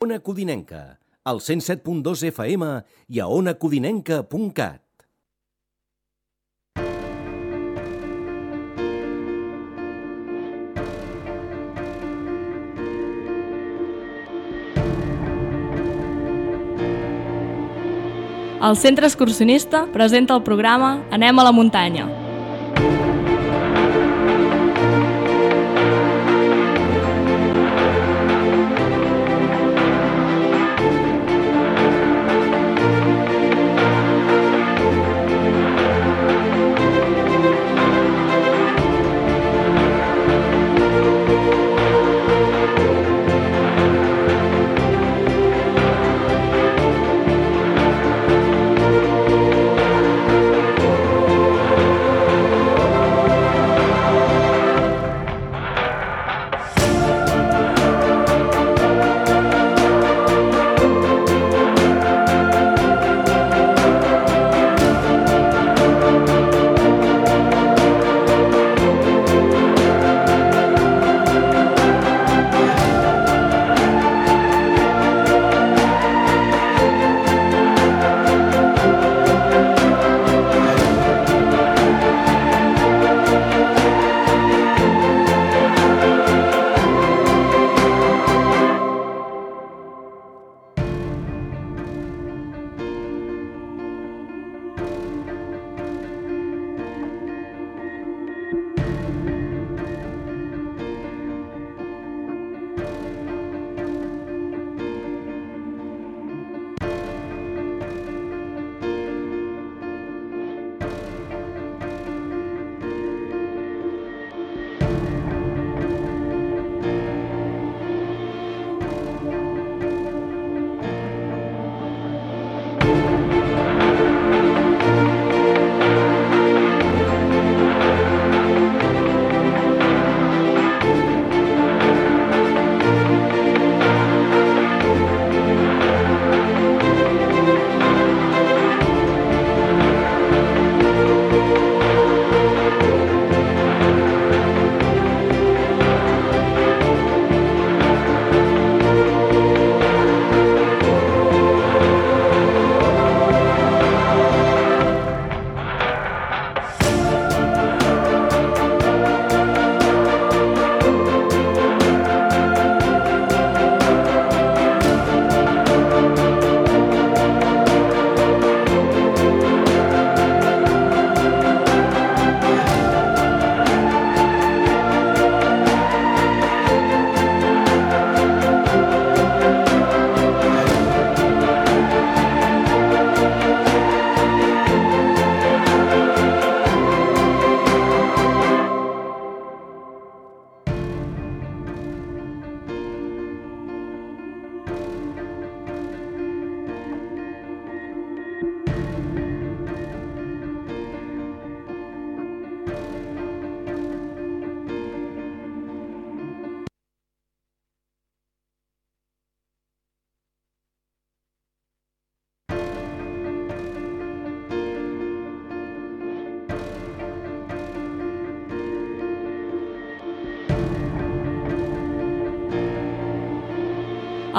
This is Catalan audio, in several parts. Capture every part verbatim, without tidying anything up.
Ona Codinenca, al cent set punt dos F M i a ona codinenca punt cat. El Centre Excursionista presenta el programa Anem a la muntanya.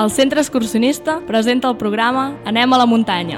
El Centre Excursionista presenta el programa Anem a la muntanya.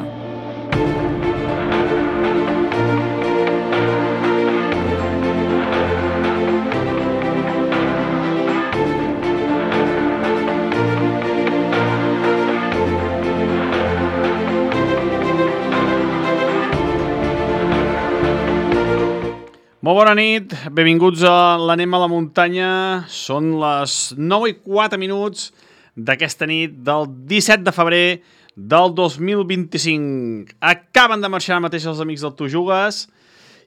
Molt bona nit, benvinguts a l'Anem a la muntanya. Són les nou i quatre minuts d'aquesta nit del disset de febrer del dos mil vint-i-cinc. Acaben de marxar mateix els amics del Tu Jugues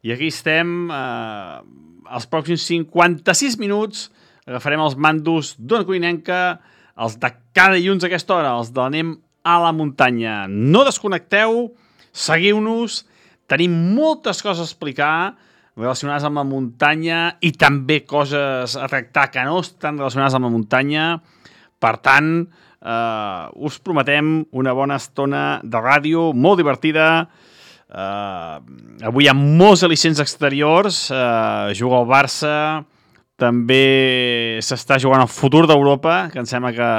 i aquí estem. Eh, els pròxims cinquanta-sis minuts agafarem els mandos d'Ona Codinenca, els de cada dilluns a aquesta hora, els de l'Anem a la muntanya. No desconnecteu, seguiu-nos, tenim moltes coses a explicar relacionades amb la muntanya i també coses a tractar que no estan relacionades amb la muntanya. Per tant, eh, us prometem una bona estona de ràdio, molt divertida. Eh, avui hi ha molts al·licents exteriors. Eh, juga el Barça, també s'està jugant el futur d'Europa, que em sembla que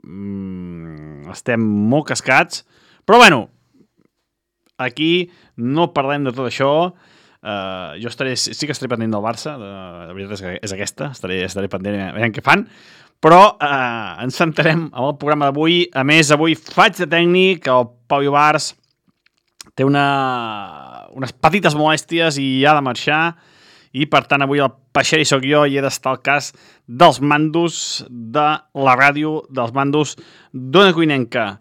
mm, estem molt cascats, però bueno, aquí no parlem de tot això. Uh, jo estaré, sí que estaré pendent del Barça, de, la veritat és, que és aquesta, estaré, estaré pendent a veure què fan, però uh, ens centrarem en el programa d'avui. A més, avui faig de tècnic, el Pau Ibarz té una, unes petites molèsties i ha de marxar, i per tant avui el Peixer i soc jo i he d'estar al cas dels mandos de la ràdio, dels mandos d'Ona Cuinenca.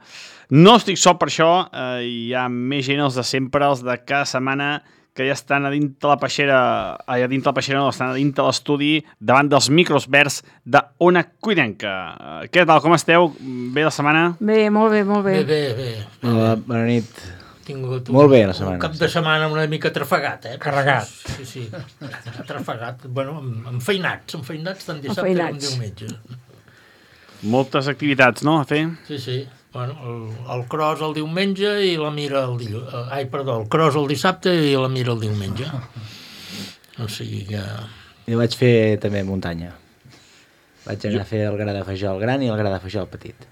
No estic sol per això, eh, hi ha més gent, els de sempre, els de cada setmana, que ja estan a dintre la peixera, a dintre la peixera no, estan a dintre l'estudi, davant dels micros verds d'Ona Cuinenca. Uh, què tal, com esteu? Bé la setmana? Bé, molt bé, molt bé. Bé, bé, bé. Hola, bona nit. Tingut molt bé la un setmana. cap de setmana una mica trafegat, eh? Carregat. Sí, sí, trafegat. Bueno, enfeinats, enfeinats tant dissabte com diumenge. Moltes activitats, no, a fer? Sí, sí. Bueno, el, el cross el diumenge i la mira el dilluns. Ai, perdó, el cross el dissabte i la mira el diumenge. O sigui que... Jo vaig fer també muntanya. Vaig anar jo... a fer el gra de Fajol gran i el gra de Fajol petit.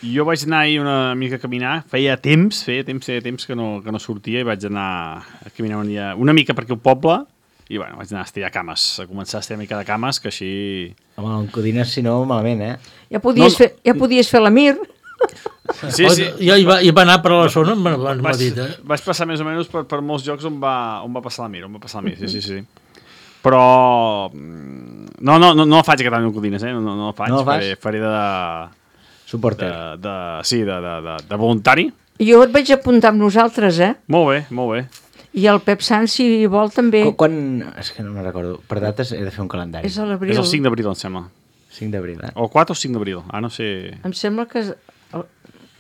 Jo vaig anar ahir una mica a caminar, feia temps, feia temps, feia temps que no, que no sortia i vaig anar a caminar un dia, una mica per aquí al poble i bueno, vaig anar a estirar cames, a començar a estirar una mica de cames, que així... Home, en Codines, si no, malament, eh? Ja podies, no, fer, ja podies fer la Mir. Sí, sí. Jo hi va, hi va anar per la zona, m'ha dit, eh? Vaig passar més o menys per, per molts llocs on va, on va passar la Mir, on va passar la Mir, sí, sí, sí. Però... No, no, no, no la faig aquest any en Codines, eh? No, no, no la faig, no faré, faré de... Suporter. De, de, sí, de, de, de, de voluntari. Jo et vaig apuntar amb nosaltres, eh? Molt bé, molt bé. I el Pep Sant, si vol, també. Quan... És que no me'n recordo. Per dates he de fer un calendari. És a l'abril. És el cinc d'abril, em sembla. cinc d'abril, eh? O quatre o cinc d'abril. Ah, no sé... Em sembla que... És...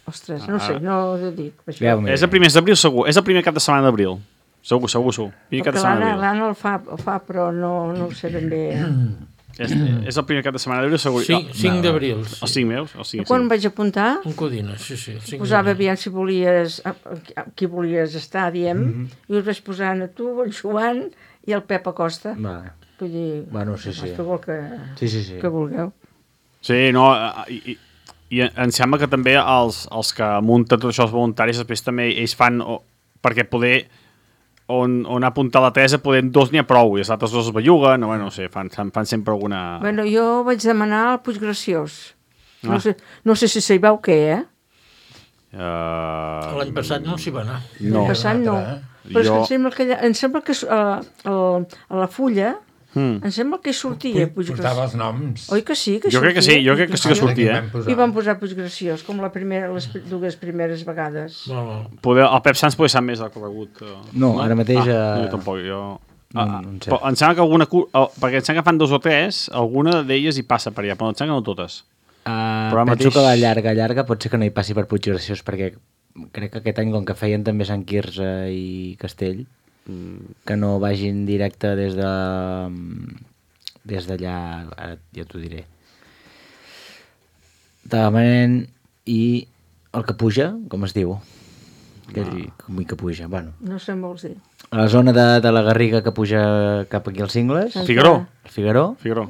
Ostres, no sé, no ho dic. Ja, és el primer d'abril, segur. És el primer cap de setmana d'abril. Segur, segur, segur. Primer cap de setmana d'abril. L'Anna el fa, el fa, però no, no ho sé ben bé. És, és el primer cap de setmana d'abril, segur. cinc, cinc d'abril. Sí. Els cinc meus? Els cinc, quan vaig apuntar? Un Codines, sí, sí. Posava aviam si volies, qui volies estar, diem, mm-hmm. i us vaig posar a tu, el Joan i el Pep Acosta. Vale. Vull dir, bueno, sí, sí. Que, sí, sí, sí. que vulgueu. Sí, no, i, i, i em sembla que també els, els que munten tots això, els voluntaris, després també ells fan, o, perquè poder... On, on ha apuntat la Teresa, podem dos n'hi ha prou, i els altres dos es belluguen, no, bueno, no sé, fan, fan sempre alguna... Bueno, jo vaig demanar al Puiggraciós. No, ah. sé, no sé si sabeu què, eh? Uh... L'any passat no s'hi va anar. No. L'any passat no. Però jo... és que em sembla que, em sembla que uh, el, a la fulla hmm. em sembla que hi sortia Puiggraciós. Portava els noms. Oi que sí? Que jo crec que sí, jo crec que sí que sortia. Eh? I van posar Puiggraciós, com la primera, les dues primeres vegades. No, no. Poder, el Pep Sans poder sap més del corregut. Uh... No, ara mateix... Ah, uh... jo tampoc, jo... No, ah, no en sé. Però em sembla que alguna... Uh, perquè em sembla que fan dos o tres, alguna d'elles hi passa per allà, però em sembla que no totes. Uh, penso mateix... que la llarga, llarga pot ser que no hi passi per Puiggraciós, perquè crec que aquest any, com que feien també Sant Quirze i Castell, mm. que no vagin directe des de... des d'allà, ara ja t'ho diré. Tagamanent i el que puja, com es diu? Aquell ah. que puja, bueno. No sé on vols dir. A la zona de, de la Garriga que puja cap aquí als Cingles. Figaró. El Figaró. Figaró.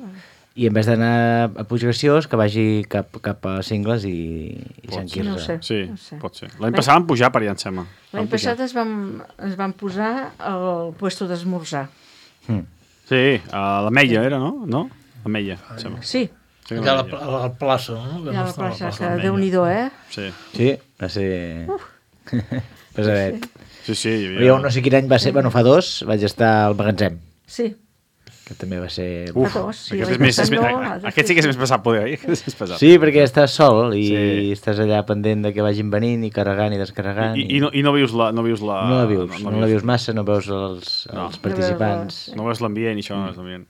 I en vez d'anar a Puiggraciós, que vagi cap, cap a Cingles i, i Sant Quirze. No sé, sí, no sé. pot ser. L'any passat van pujar per allà, em sembla. L'any passat es van, es van posar al puesto d'esmorzar. Mm. Sí, a la Meia era, no? No? La Meia, em sembla. Sí. sí allà a la, a la plaça, no? Allà a la plaça, que Déu-n'hi-do, eh? Sí. Sí, va ser... Pesadet. Sí, sí. Hi havia... Jo no sé quin any va ser, bueno, fa dos, vaig estar al magatzem. Sí. Que també va ser... Uf, fa dos, sí. Aquest, és més, és més, no, aquest sí que és més pesat, poder, eh? És pesat. Sí, perquè estàs sol i sí. estàs allà pendent de que vagin venint i carregant i descarregant. I, i, i, no, i no vius la... No, vius la, no la vius, no, no, no la vius massa, no veus els, no. els participants. No veus l'ambient i això no veus l'ambient.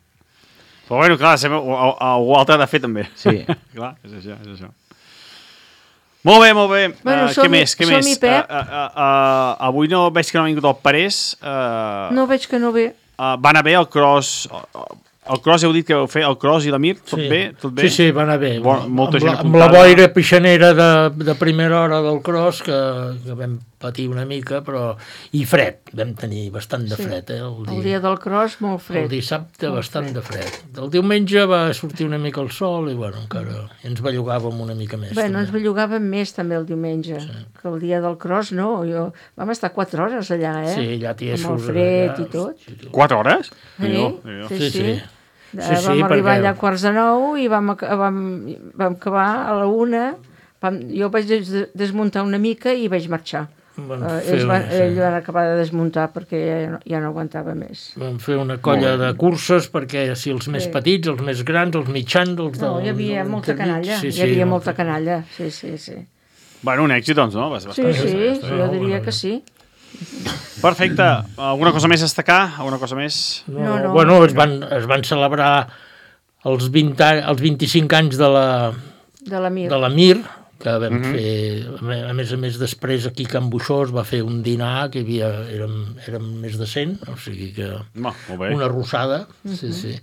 Però bueno, clar, algú altre ha de fer també. Sí. Clar, és això, és això. Molt bé, molt bé. Bueno, uh, què més? Què més? Pep. Uh, uh, uh, avui no veig que no ha vingut el Parés. Uh, no veig que no ve. Uh, va anar bé el cross... Uh, el cross heu dit que vau fer, el cross i la Mir, tot sí. bé? Tot bé? Sí, sí, va anar bé. Bon, molta amb, gent la, amb la boira pixanera de, de primera hora del cross que, que vam patir una mica, però... I fred, vam tenir bastant de fred, eh? El dia, el dia del cross, molt fred. El dissabte, molt bastant fred. de fred. El diumenge va sortir una mica el sol i, bueno, encara ens bellugàvem una mica més. Bé, no ens també. bellugàvem més, també, el diumenge, sí. que el dia del cross, no. Jo... Vam estar quatre hores allà, eh? Sí, allà tiesos. Amb el fred allà, i tot. Quatre hores? Sí, Déu, Déu. sí, Sí, sí. sí. Eh, Sí, sí, vam arribar perquè- allà a quarts de nou i vam, ac- vam, vam acabar a la una. Vam, jo vaig des- desmuntar una mica i vaig marxar. Van Uh, fer ells van, una- sí. ells van acabar de desmuntar perquè ja no, ja no aguantava més. Vam fer una colla de curses perquè si els més Sí. petits, els més grans, els mitjans, els de... No, hi havia els molta intermits, canalla, sí, hi sí, havia no, molta canalla, sí, sí, sí. Bueno, un èxit, doncs, no? Bast- Sí, bastant. sí, està bé, jo no? diria Bueno, que sí. Perfecte. Alguna cosa més a destacar? Alguna cosa més? No, No, no. Bueno, es van, es van celebrar els, vint, a- els vint-i-cinc anys de la, De la Mir. de la Mir, que vam mm -hmm. fer, a me- a més a més després aquí a Can Buixó es va fer un dinar que hi havia, érem, érem més de cent, o sigui que No, molt bé. una arrossada, sí, sí.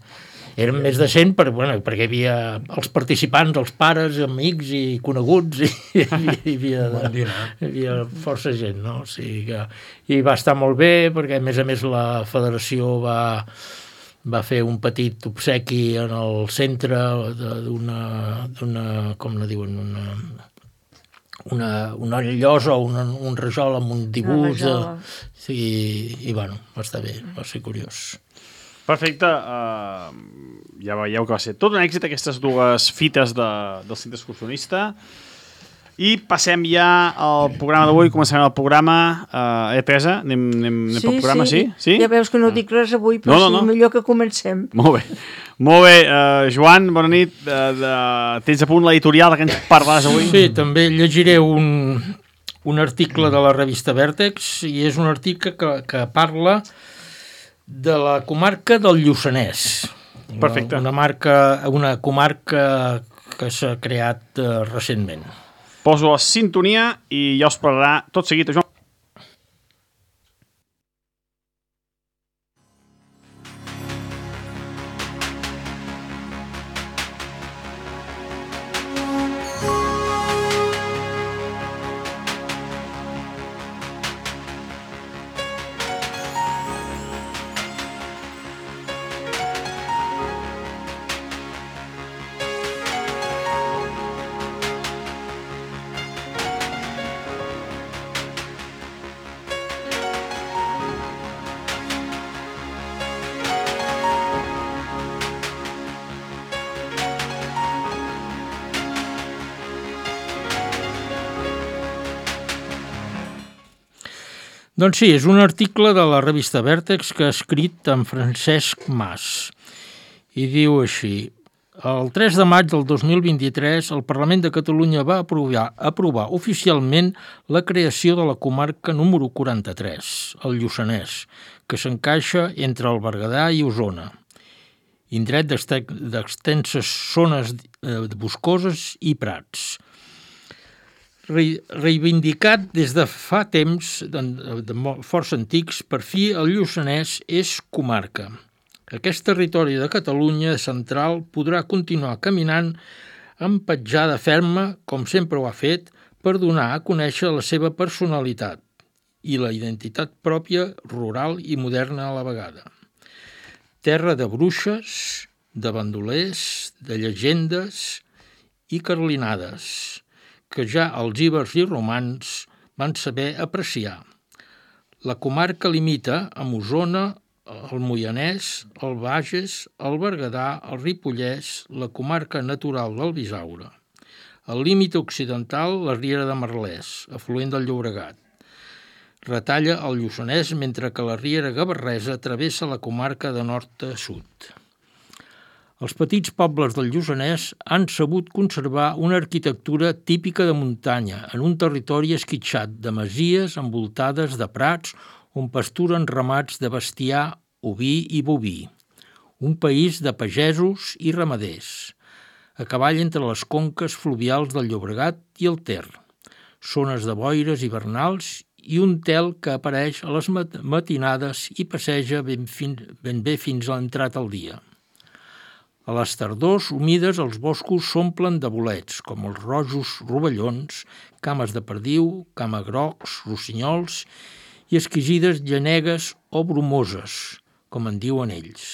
Érem més de cent per, bueno, perquè hi havia els participants, els pares, amics i coneguts, i hi havia, hi havia, de, hi havia força gent, no? O sigui que, i va estar molt bé, perquè a més a més la federació va, va fer un petit obsequi en el centre de- d'una, d'una com la diuen, una, una, una llosa o una, un rajol amb un dibuix. De, rajola. sí, i bueno, va estar bé, va ser curiós. Perfecte. Uh, ja veieu que va ser tot un èxit aquestes dues fites de, del centre excursionista. I passem ja al programa d'avui. Començarem el programa. Uh, eh, Teresa? Anem, anem, anem pel programa, sí? Sí? Ja veus que no dic res avui, però No, no, sí, no. millor que comencem. Molt bé. Molt bé. Uh, Joan, bona nit. Uh, de... Tens a punt l'editorial de què ens parlaràs avui? Sí, també llegiré un, un article de la revista Vèrtex, i és un article que, que parla de la comarca del Lluçanès. Perfecte. Una, una, marca, una comarca que s'ha creat uh, recentment. Poso la sintonia i ja us parlarà tot seguit a Joan. Doncs sí, és un article de la revista Vèrtex que ha escrit en Francesc Mas. I diu així: el tres de maig del dos mil vint-i-tres el Parlament de Catalunya va aprovar, aprovar oficialment la creació de la comarca número quaranta-tres, el Lluçanès, que s'encaixa entre el Berguedà i Osona, indret d'extenses zones boscoses i prats. Reivindicat des de fa temps de, de força antics, per fi el Lluçanès és comarca. Aquest territori de Catalunya central podrà continuar caminant amb petjada ferma, com sempre ho ha fet, per donar a conèixer la seva personalitat i la identitat pròpia, rural i moderna a la vegada. Terra de bruixes, de bandolers, de llegendes i carlinades, que ja els ibers i romans van saber apreciar. La comarca limita amb Osona, el Moianès, el Bages, el Berguedà, el Ripollès, la comarca natural del Bisaure. Al límit occidental, la Riera de Merlès, afluent del Llobregat. Retalla el Lluçanès, mentre que la Riera Gavarresa travessa la comarca de nord a sud. Els petits pobles del Lluçanès han sabut conservar una arquitectura típica de muntanya, en un territori esquitxat de masies envoltades de prats on pasturen ramats de bestiar, oví i boví. Un país de pagesos i ramaders, a cavall entre les conques fluvials del Llobregat i el Ter, zones de boires hivernals i un tel que apareix a les matinades i passeja ben, fin, ben bé fins a l'entrat al dia. A les tardors humides els boscos s'omplen de bolets, com els rojos rovellons, cames de perdiu, camagrocs, rossinyols i exquisides llanegues o bromoses, com en diuen ells.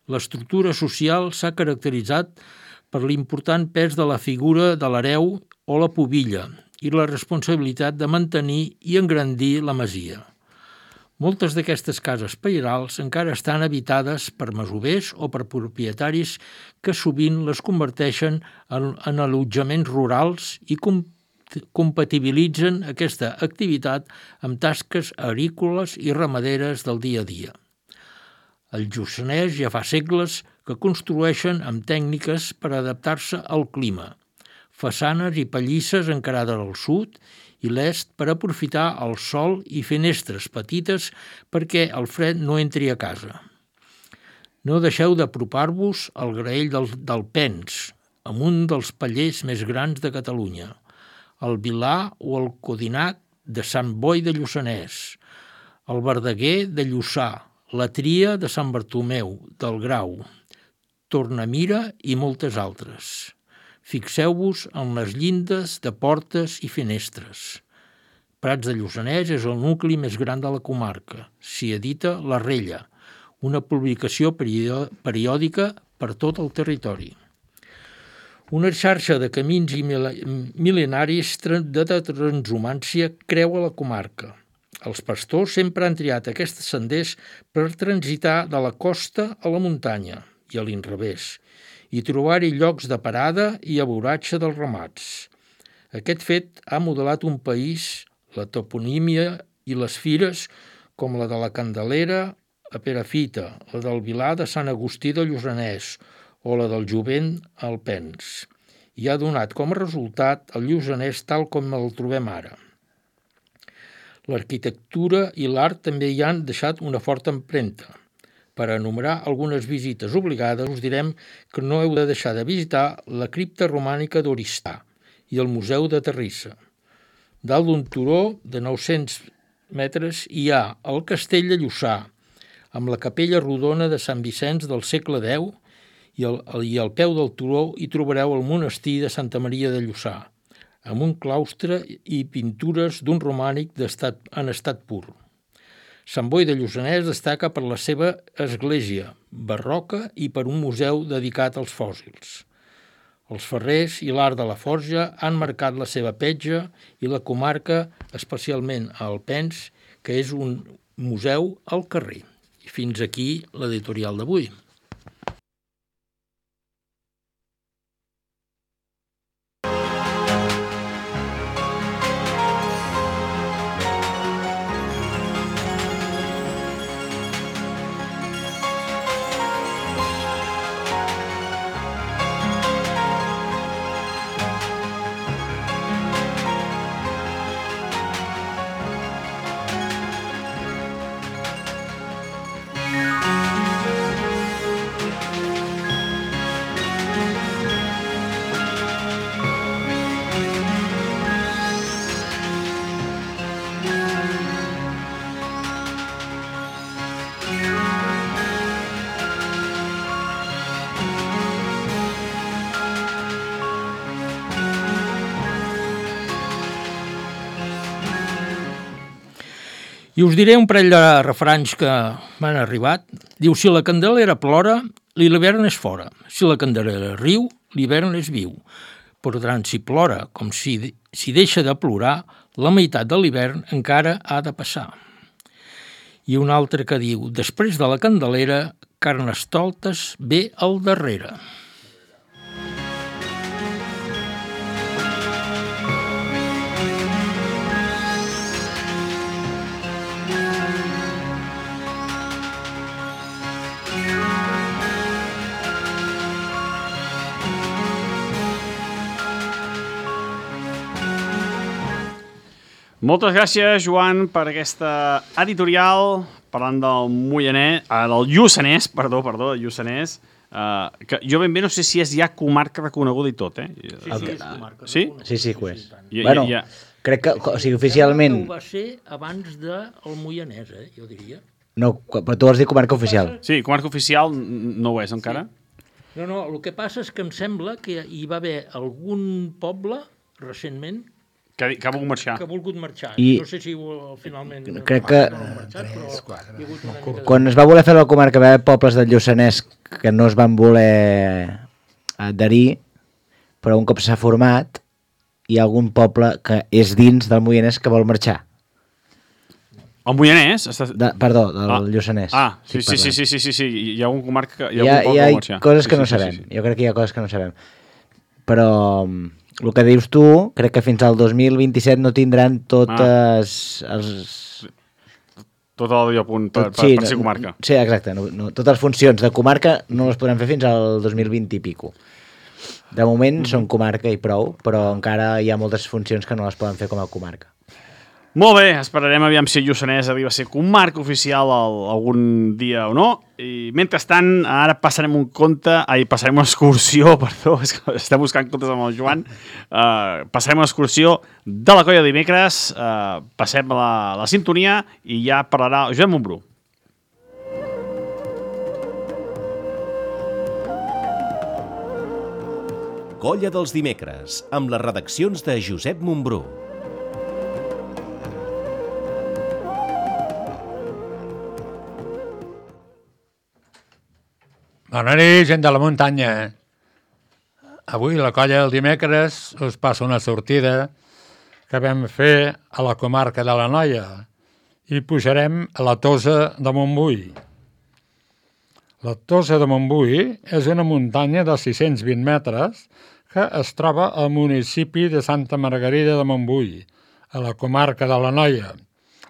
L'estructura social s'ha caracteritzat per l'important pes de la figura de l'hereu o la pubilla i la responsabilitat de mantenir i engrandir la masia. Moltes d'aquestes cases pairals encara estan habitades per masovers o per propietaris que sovint les converteixen en, en allotjaments rurals i com, compatibilitzen aquesta activitat amb tasques agrícoles i ramaderes del dia a dia. El Lluçanès ja fa segles que construeixen amb tècniques per adaptar-se al clima, façanes i pallisses encarades al sud i l'est per aprofitar el sol i finestres petites perquè el fred no entri a casa. No deixeu d'apropar-vos al graell del, del Pens, amb un dels pallers més grans de Catalunya, el Vilà o el Codinac de Sant Boi de Lluçanès, el Verdaguer de Lluçà, la Tria de Sant Bartomeu, del Grau, Tornamira i moltes altres. Fixeu-vos en les llindes de portes i finestres. Prats de Lluçanès és el nucli més gran de la comarca. S'hi edita La Rella, una publicació periòdica per tot el territori. Una xarxa de camins i mil·lenaris de transhumància creua la comarca. Els pastors sempre han triat aquests senders per transitar de la costa a la muntanya i a l'inrevés, i trobar-hi llocs de parada i aborratge dels ramats. Aquest fet ha modelat un país, la toponímia i les fires, com la de la Candelera a Perafita, la del Vilà de Sant Agustí de Lluçanès o la del Jovent al Pens, i ha donat com a resultat el Lluçanès tal com el trobem ara. L'arquitectura i l'art també hi han deixat una forta empremta. Per enumerar algunes visites obligades, us direm que no heu de deixar de visitar la cripta romànica d'Oristà i el Museu de Terrissa. Dalt d'un turó de nou-cents metres hi ha el Castell de Lluçà, amb la capella rodona de Sant Vicenç del segle deu, i, el, i al peu del turó hi trobareu el monestir de Santa Maria de Lluçà, amb un claustre i pintures d'un romànic d'estat, en estat pur. Sant Boi de Lluçanès destaca per la seva església barroca i per un museu dedicat als fòssils. Els ferrers i l'art de la forja han marcat la seva petja i la comarca, especialment a Alpens, que és un museu al carrer. I fins aquí l'editorial d'avui. I us diré un parell de refranys que m'han arribat. Diu, si la Candelera plora, l'hivern és fora. Si la Candelera riu, l'hivern és viu. Per tant, si plora com si, si deixa de plorar, la meitat de l'hivern encara ha de passar. I un altre que diu, després de la Candelera, Carnestoltes ve al darrere. Moltes gràcies, Joan, per aquesta editorial parlant del Moianès, eh, del Lluçanès, perdó, perdó, del Lluçanès, eh, que jo ben bé no sé si és ja comarca reconeguda i tot, eh? Sí, sí, és comarca sí? reconeguda. Sí, sí que ho és. Ja, bueno, ja, ja. crec que, o sigui, oficialment... Ho va ser abans del Moianès, eh, jo diria. No, però tu has dit comarca oficial. Sí, comarca oficial no ho és encara. Sí. No, no, el que passa és que em sembla que hi va haver algun poble, recentment, Que, que ha volgut marxar. que ha volgut marxar. I- No sé si ho- finalment... Crec que- no han marxat, però hi ha hagut una mica de... Quan es va voler fer la comarca, va haver pobles del Lluçanès que no es van voler adherir, però un cop s'ha format, hi ha algun poble que és dins del Moianès que vol marxar. El Moianès? Està... De, perdó, del Ah. Lluçanès. Ah, sí, estic sí, sí, parlant. sí, sí, sí, sí, hi ha un comarca, hi ha, Hi ha, algun hi poble ha que vol marxar. coses que sí, no sí, sí, sabem. sí, sí. Jo crec que hi ha coses que no sabem. Però el que dius tu, crec que fins al dos mil vint-i-set no tindran totes Ah. els... Tot el dia a punt per, tot- per, per ser comarca. Sí, exacte. No, no, totes les funcions de comarca no les podran fer fins al dos mil vint i pico. De moment Mhm. són comarca i prou, però encara hi ha moltes funcions que no les poden fer com a comarca. Molt bé, esperarem aviam si el Lluçanès arriba a ser comarca oficial el, algun dia o no. I mentrestant, ara passarem un conte, ai, passarem una excursió, perdó, és que estem buscant contes amb el Joan. Uh, passarem una excursió de la colla de dimecres, uh, passem la, la sintonia i ja parlarà Josep Montbrú. Colla dels dimecres, amb les redaccions de Josep Montbrú. Bona nit, gent de la muntanya. Avui, la colla del dimecres, us passa una sortida que vam fer a la comarca de la Noia i pujarem a la Tosa de Montbui. La Tosa de Montbui és una muntanya de sis-cents vint metres que es troba al municipi de Santa Margarida de Montbui, a la comarca de la Noia,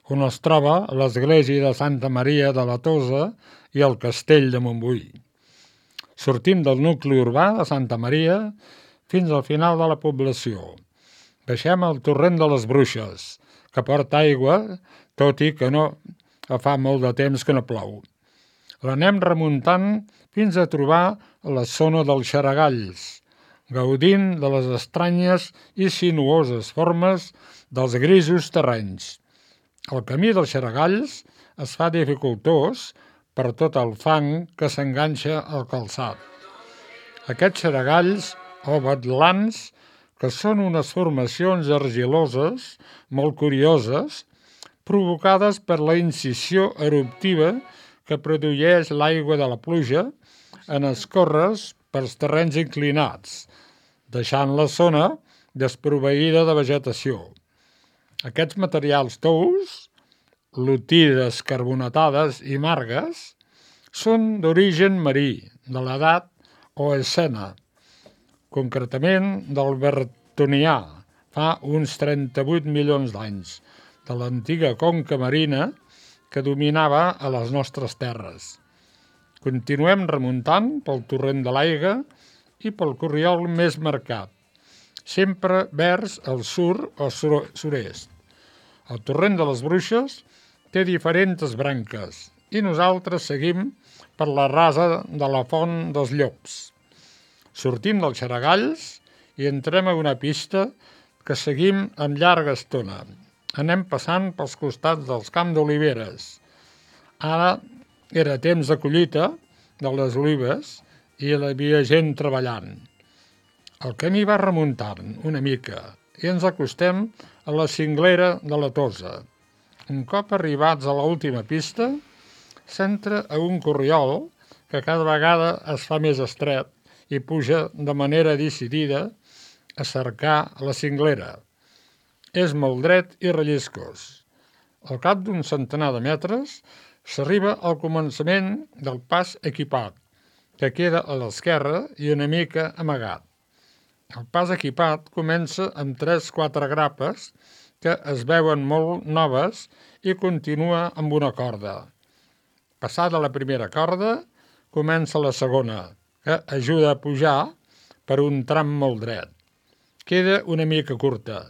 on es troba l'església de Santa Maria de la Tosa i el castell de Montbui. Sortim del nucli urbà de Santa Maria fins al final de la població. Baixem al torrent de les Bruixes, que porta aigua, tot i que no fa molt de temps que no plou. L'anem remuntant fins a trobar la zona dels Xaragalls, gaudint de les estranyes i sinuoses formes dels grisos terrenys. El camí dels Xaragalls es fa dificultós per tot el fang que s'enganxa al calçat. Aquests xaragalls o batlans, que són unes formacions argiloses molt curioses, provocades per la incisió eruptiva que produeix l'aigua de la pluja en escórrer pels terrenys inclinats, deixant la zona desproveïda de vegetació. Aquests materials tous, lutides carbonatades i margues, són d'origen marí, de l'edat Eocena, concretament del Bertonià, fa uns trenta-vuit milions d'anys, de l'antiga conca marina que dominava a les nostres terres. Continuem remuntant pel torrent de l'Aiga i pel corriol més marcat, sempre vers el sur o sud-est. El torrent de les Bruixes té diferents branques i nosaltres seguim per la rasa de la Font dels Llops. Sortim dels Xaragalls i entrem a una pista que seguim amb llarga estona. Anem passant pels costats dels camps d'oliveres. Ara era temps de collita de les olives i hi havia gent treballant. El camí va remuntant una mica i ens acostem a la cinglera de la Tosa. Un cop arribats a l'última pista, s'entra a un corriol que cada vegada es fa més estret i puja de manera decidida a cercar la cinglera. És molt dret i relliscós. Al cap d'un centenar de metres s'arriba al començament del pas equipat, que queda a l'esquerra i una mica amagat. El pas equipat comença amb tres o quatre grapes que es veuen molt noves i continua amb una corda. Passada la primera corda, comença la segona, que ajuda a pujar per un tram molt dret. Queda una mica curta,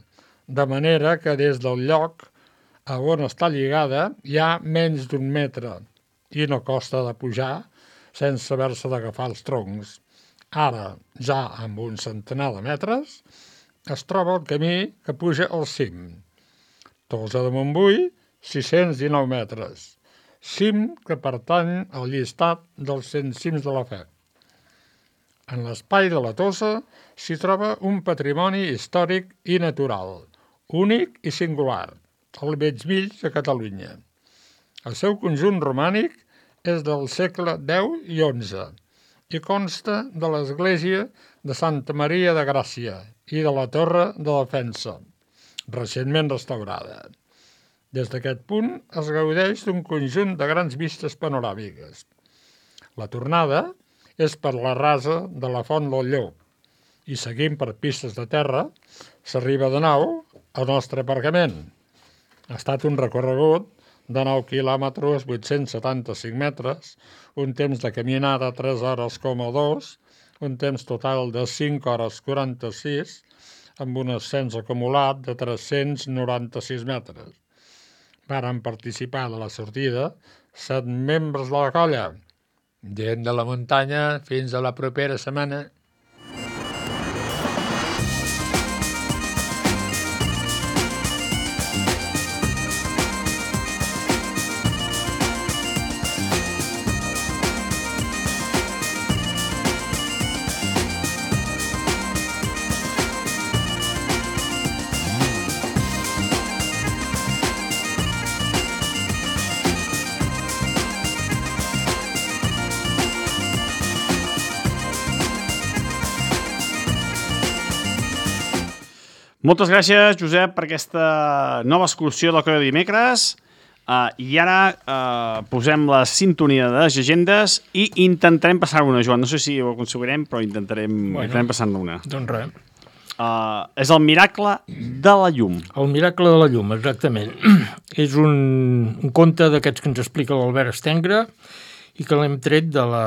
de manera que des del lloc a on està lligada hi ha menys d'un metre i no costa de pujar sense haver-se d'agafar els troncs. Ara, ja amb un centenar de metres, es troba el camí que puja al cim. Tosa de Montbui, sis-cents dinou metres. Cim que pertany al llistat dels cent cims de la Fe. En l'espai de la Tossa s'hi troba un patrimoni històric i natural, únic i singular, al bell mig de Catalunya. El seu conjunt romànic és del segle deu i onze i consta de l'església de Santa Maria de Gràcia i de la Torre de Defensa, recentment restaurada. Des d'aquest punt es gaudeix d'un conjunt de grans vistes panoràmiques. La tornada és per la rasa de la Font del Llop i seguint per pistes de terra s'arriba de nou al nostre aparcament. Ha estat un recorregut de nou quilòmetres, vuit-cents setanta-cinc metres, un temps de caminada tres hores coma dos, un temps total de cinc hores quaranta-sis, amb un ascens acumulat de tres-cents noranta-sis metres. Varen participar de la sortida set membres de la colla. Gent de la muntanya, fins a la propera setmana. Moltes gràcies, Josep, per aquesta nova excursió del Coll de Dimecres. Uh, I ara uh, posem la sintonia de les llegendes i intentarem passar-ne una, Joan. No sé si ho aconseguirem, però intentarem, bueno, intentarem passar-ne una. Doncs res. Uh, és el miracle de la llum. El miracle de la llum, exactament. És un, un conte d'aquests que ens explica l'Albert Estengre i que l'hem tret de la,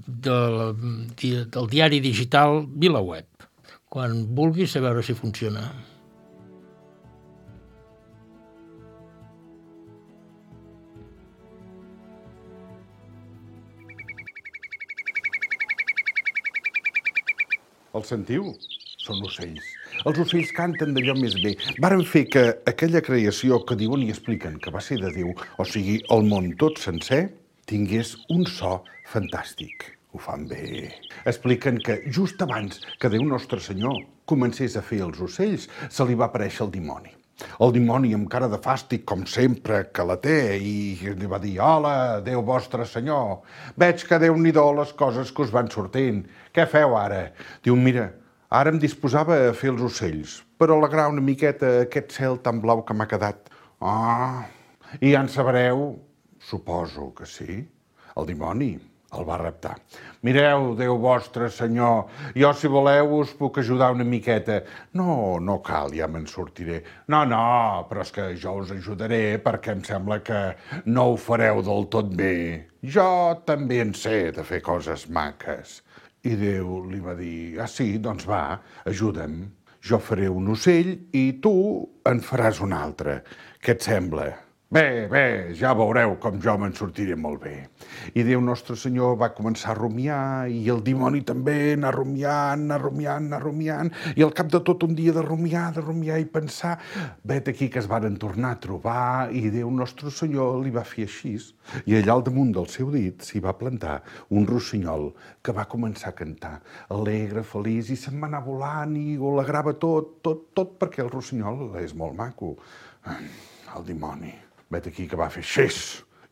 de la, del diari digital VilaWeb. Quan vulguis, a veure si funciona. El sentiu? Són ocells. Els ocells canten d'allò més bé. Varen fer que aquella creació que diuen i expliquen que va ser de Déu, o sigui, el món tot sencer, tingués un so fantàstic. Ho fan bé. Expliquen que just abans que Déu Nostre Senyor comencés a fer els ocells, se li va aparèixer el dimoni. El dimoni amb cara de fàstic, com sempre, que la té, i li va dir: «Hola, Déu Vostre Senyor, veig que Déu-n'hi-do les coses que us van sortint. Què feu ara?» Diu: «Mira, ara em disposava a fer els ocells, per alegrar una miqueta aquest cel tan blau que m'ha quedat». «Ah, i ja en sabreu?» «Suposo que sí». El dimoni el va reptar. «Mireu, Déu Vostre Senyor, jo, si voleu, us puc ajudar una miqueta». «No, no cal, ja me'n sortiré». «No, no, però és que jo us ajudaré perquè em sembla que no ho fareu del tot bé. Jo també en sé de fer coses maques». I Déu li va dir: «Ah, sí, doncs va, ajuda'm. Jo faré un ocell i tu en faràs un altre. Què et sembla?» «Bé, bé, ja veureu com jo me'n sortiré molt bé». I Déu Nostre Senyor va començar a rumiar, i el dimoni també, anar rumiant, anar rumiant, anar rumiant, i al cap de tot un dia de rumiar, de rumiar i pensar, vet aquí que es varen tornar a trobar, i Déu Nostre Senyor li va fer així, i allà al damunt del seu dit s'hi va plantar un rossinyol que va començar a cantar, alegre, feliç, i se'n va anar volant i ho alegrava tot, tot, tot, perquè el rossinyol és molt maco. El dimoni, vet aquí que va fer xés,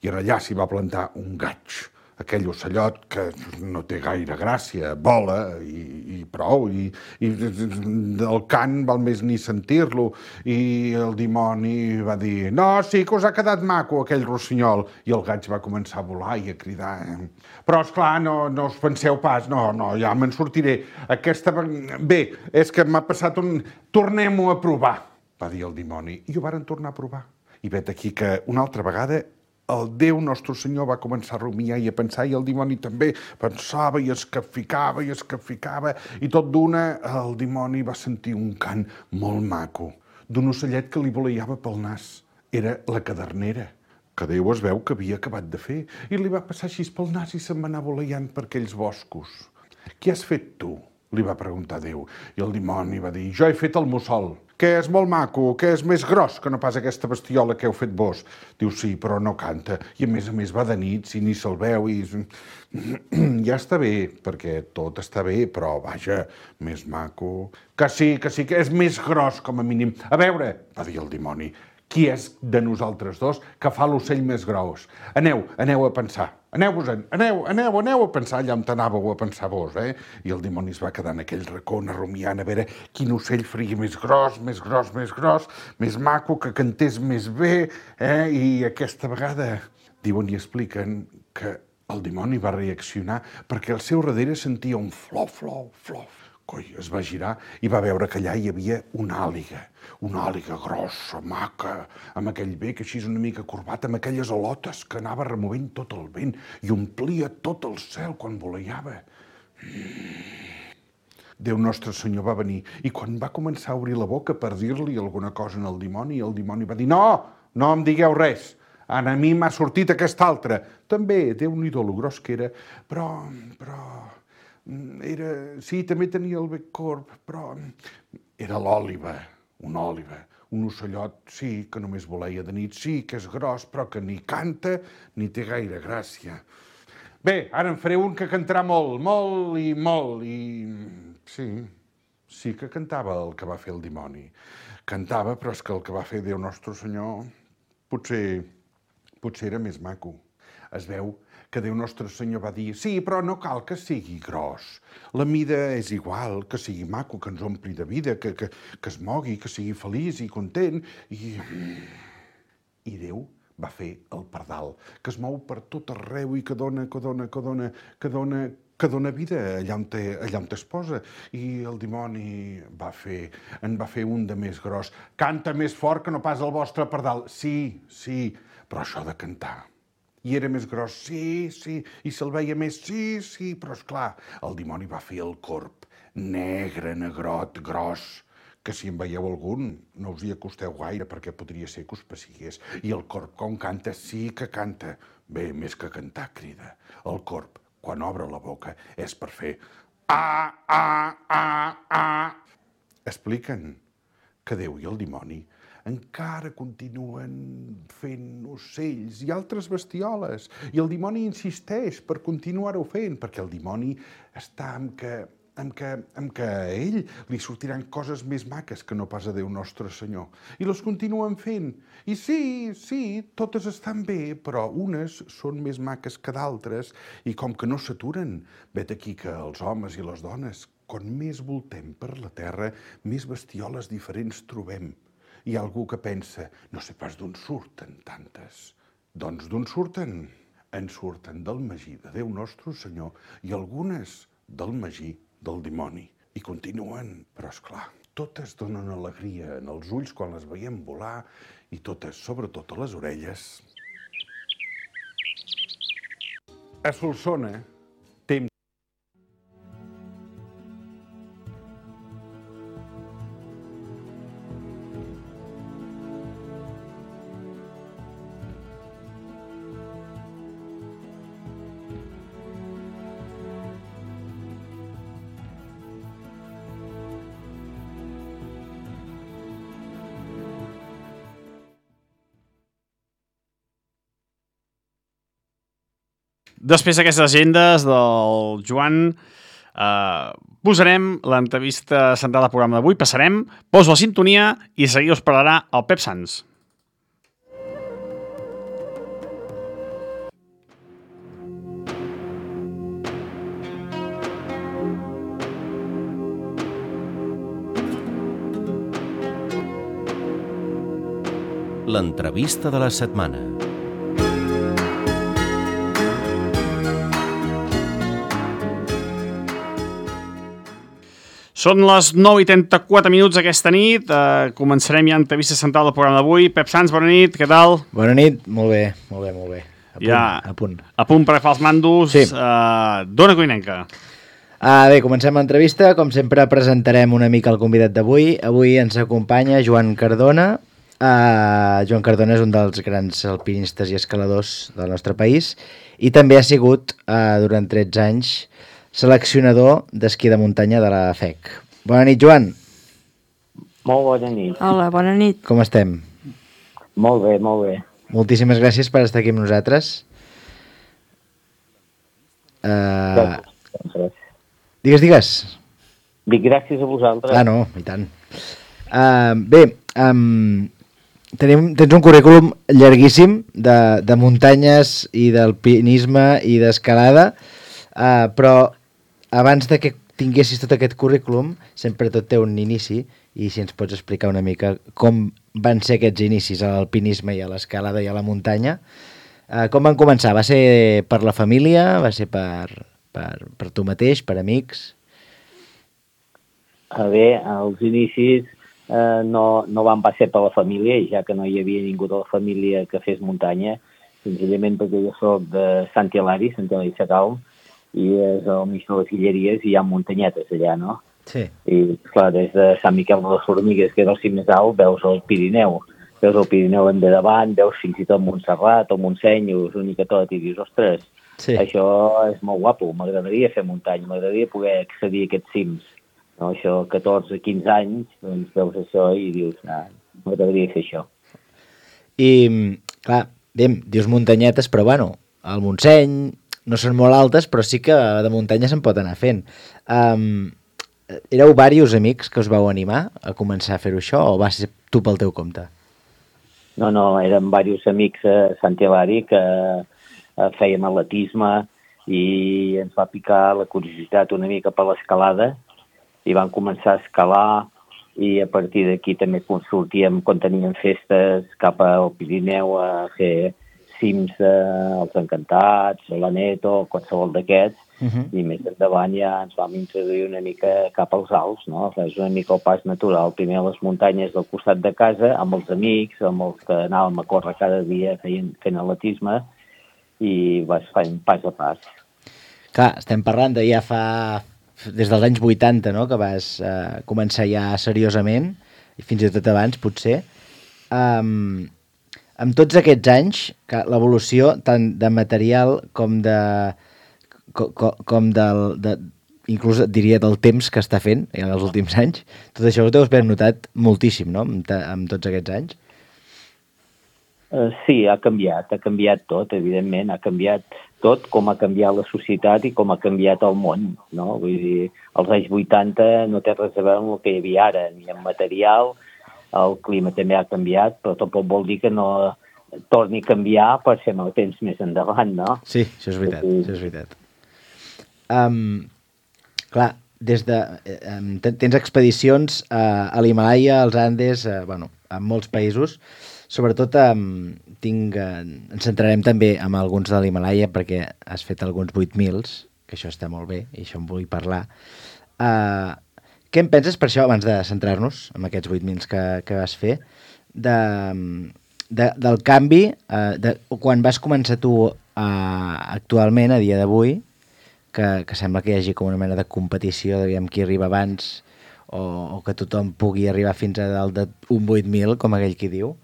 i allà s'hi va plantar un gaig, aquell ocellot que no té gaire gràcia, vola i, i prou, i, i el cant val més ni sentir-lo, i el dimoni va dir: «No, sí que us ha quedat maco aquell rossinyol», i el gaig va començar a volar i a cridar. «Però, esclar, no, no us penseu pas, no, no, ja me'n sortiré. Aquesta... Bé, és que m'ha passat un... Tornem-ho a provar», va dir el dimoni, i ho varen tornar a provar. I vet aquí que una altra vegada el Déu Nostre Senyor va començar a rumiar i a pensar, i el dimoni també pensava i es capficava i es capficava, i tot d'una el dimoni va sentir un cant molt maco d'un ocellet que li voleiava pel nas. Era la cadernera, que Déu es veu que havia acabat de fer, i li va passar així pel nas i se'n va anar voleiant per aquells boscos. «Què has fet tu?», li va preguntar Déu, i el dimoni va dir: «Jo he fet el mussol». que és molt maco, que és més gros que no pas aquesta bestiola que heu fet vos. Diu, sí, però no canta. I a més a més va de nit, si ni se'l veu i... Ja està bé, perquè tot està bé, però vaja, més maco... Que sí, que sí, que és més gros com a mínim. A veure, va dir el dimoni, qui és de nosaltres dos que fa l'ocell més gros? Aneu, aneu a pensar. Aneu-vos-en, aneu, aneu, aneu a pensar allà on anàveu a pensar vos, eh? I el dimoni es va quedar en aquell racó rumiant a veure quin ocell faria més gros, més gros, més gros, més maco, que cantés més bé, eh? I aquesta vegada diuen i expliquen que el dimoni va reaccionar perquè al seu darrere sentia un flof, flof, flof. Coi, es va girar i va veure que allà hi havia una àliga, una àliga grossa, maca, amb aquell bec així una mica corbat, amb aquelles alotes que anava removent tot el vent i omplia tot el cel quan voleiava. Déu nostre senyor va venir i quan va començar a obrir la boca per dir-li alguna cosa al dimoni, el dimoni va dir, no, no em digueu res, a mi m'ha sortit aquesta altra. També, Déu-n'hi-do lo gros que era, però, però... Era... Sí, també tenia el bec corb, però era l'òliba, una òliba, un ocellot, sí, que només voleia de nit, sí, que és gros, però que ni canta ni té gaire gràcia. Bé, ara en faré un que cantarà molt, molt i molt, i... Sí, sí que cantava el que va fer el dimoni. Cantava, però és que el que va fer Déu Nostre Senyor potser, potser era més maco. Es veu que Déu Nostre Senyor va dir, sí, però no cal que sigui gros. La mida és igual, que sigui maco, que ens ompli de vida, que, que, que es mogui, que sigui feliç i content. I... I Déu va fer el pardal, que es mou per tot arreu i que dona, que dona, que dona, que dona, que dona vida allà on, te, allà on es posa. I el dimoni va fer, en va fer un de més gros. Canta més fort que no pas el vostre pardal. Sí, sí, però això de cantar... I era més gros, sí, sí, i se'l veia més, sí, sí, però esclar, el dimoni va fer el corb, negre, negrot, gros, que si en veieu algun no us hi acosteu gaire perquè podria ser que us pessigués. I el corb, com canta, sí que canta. Bé, més que cantar, crida. El corb, quan obre la boca, és per fer ah, ah, ah, ah. Expliquen que Déu i el dimoni encara continuen fent ocells i altres bestioles. I el dimoni insisteix per continuar-ho fent, perquè el dimoni està amb que, amb que, amb que a ell li sortiran coses més maques que no pas a Déu Nostre Senyor. I les continuen fent. I sí, sí, totes estan bé, però unes són més maques que d'altres i com que no s'aturen, vet aquí que els homes i les dones, quan més voltem per la terra, més bestioles diferents trobem. Hi ha algú que pensa, no sé pas d'on surten tantes. Doncs d'on surten? En surten del magí de Déu Nostre Senyor i algunes del magí del dimoni. I continuen, però esclar, totes donen alegria en els ulls quan les veiem volar i totes, sobretot a les orelles. A Solsona, temps Després d'aquestes agendes del Joan, eh, posarem l'entrevista central del programa d'avui, passarem, poso la sintonia i seguir us parlarà el Pep Sans. L'entrevista de la setmana. Són les nou i trenta-quatre minuts aquesta nit. Eh, començarem ja l'entrevista central del programa d'avui. Pep Sans, bona nit, què tal? Bona nit, molt bé, molt bé, molt bé. A punt, ja, a punt. A punt per agafar els mandos. Sí. Eh, Dona Coinenca. Ah, bé, comencem l'entrevista. Com sempre presentarem una mica el convidat d'avui. Avui ens acompanya Joan Cardona. Uh, Joan Cardona és un dels grans alpinistes i escaladors del nostre país i també ha sigut, uh, durant tretze anys, seleccionador d'esquí de muntanya de la F E C. Bona nit, Joan. Molt bona nit. Hola, bona nit. Com estem? Molt bé, molt bé. Moltíssimes gràcies per estar aquí amb nosaltres. Uh... Digues, digues. Dic gràcies a vosaltres. Ah, no, i tant. Uh, bé, um, tenim, tens un currículum llarguíssim de, de muntanyes i d'alpinisme i d'escalada, uh, però abans de que tinguessis tot aquest currículum, sempre tot té un inici, i si ens pots explicar una mica com van ser aquests inicis a l'alpinisme i a l'escalada i a la muntanya. Uh, com van començar? Va ser per la família? Va ser per, per, per tu mateix, per amics? A bé, als inicis eh, no, no van ser per la família, ja que no hi havia ningú de la família que fes muntanya, senzillament perquè jo soc de Sant Hilari, Sant Hilari Sacalm, i és al mig de les Guilleries i hi ha muntanyetes allà, no? Sí. I, clar, des de Sant Miquel de les Formigues, que és el cim més alt, veus el Pirineu. Veus el Pirineu en de davant, veus fins i tot Montserrat o Montseny, us única tot, i dius, ostres, sí. Això és molt guapo, m'agradaria fer muntanya, m'agradaria poder accedir a aquests cims. No, això, catorze quinze anys, doncs veus això i dius, ah, m'agradaria fer això. I, clar, diem, dius muntanyetes, però bueno, el Montseny no són molt altes, però sí que de muntanya se'n pot anar fent. Um, éreu diversos amics que us vau animar a començar a fer-ho això, o va ser tu pel teu compte? No, no, érem diversos amics a Sant Hilari que eh, fèiem atletisme i ens va picar la curiositat una mica per l'escalada i vam començar a escalar i a partir d'aquí també sortíem quan teníem festes cap al Pirineu a fer cims eh, als Encantats, a l'Aneto, qualsevol d'aquests, uh-huh. I més endavant ja ens vam introduir una mica cap als Alps, no? És una mica el pas natural, primer a les muntanyes del costat de casa, amb els amics, amb els que anàvem a córrer cada dia feien, fent atletisme, i vas fent pas a pas. Clar, estem parlant de ja fa... des dels anys vuitanta, no?, que vas eh, començar ja seriosament, i fins i tot abans, potser. Um, amb tots aquests anys, l'evolució tant de material com de... com, com del... De, inclús diria del temps que està fent en els últims anys, tot això us deus haver notat moltíssim, no?, amb, amb tots aquests anys. Uh, sí, ha canviat, ha canviat tot, evidentment, ha canviat tot, com ha canviat la societat i com ha canviat el món, no? Vull dir, als anys vuitanta no té res a veure amb el que hi havia ara, ni en material, el clima també ha canviat, però tampoc vol dir que no torni a canviar per ser el temps més endavant, no? Sí, això és veritat, sí. Això és veritat. Um, clar, des de... Um, tens expedicions uh, a l'Himàlaia, als Andes, uh, bueno, a molts països. Sobretot um, tinc, uh, ens centrarem també en alguns de l'Himàlaia perquè has fet alguns vuit mils, que això està molt bé, i això em vull parlar. Uh, què en penses per això, abans de centrar-nos en aquests vuit mils que, que vas fer, de, de, del canvi, uh, de, quan vas començar tu uh, actualment, a dia d'avui, que, que sembla que hi hagi com una mena de competició, de qui arriba abans, o, o que tothom pugui arribar fins a dalt d'un vuit mil, com aquell qui diu.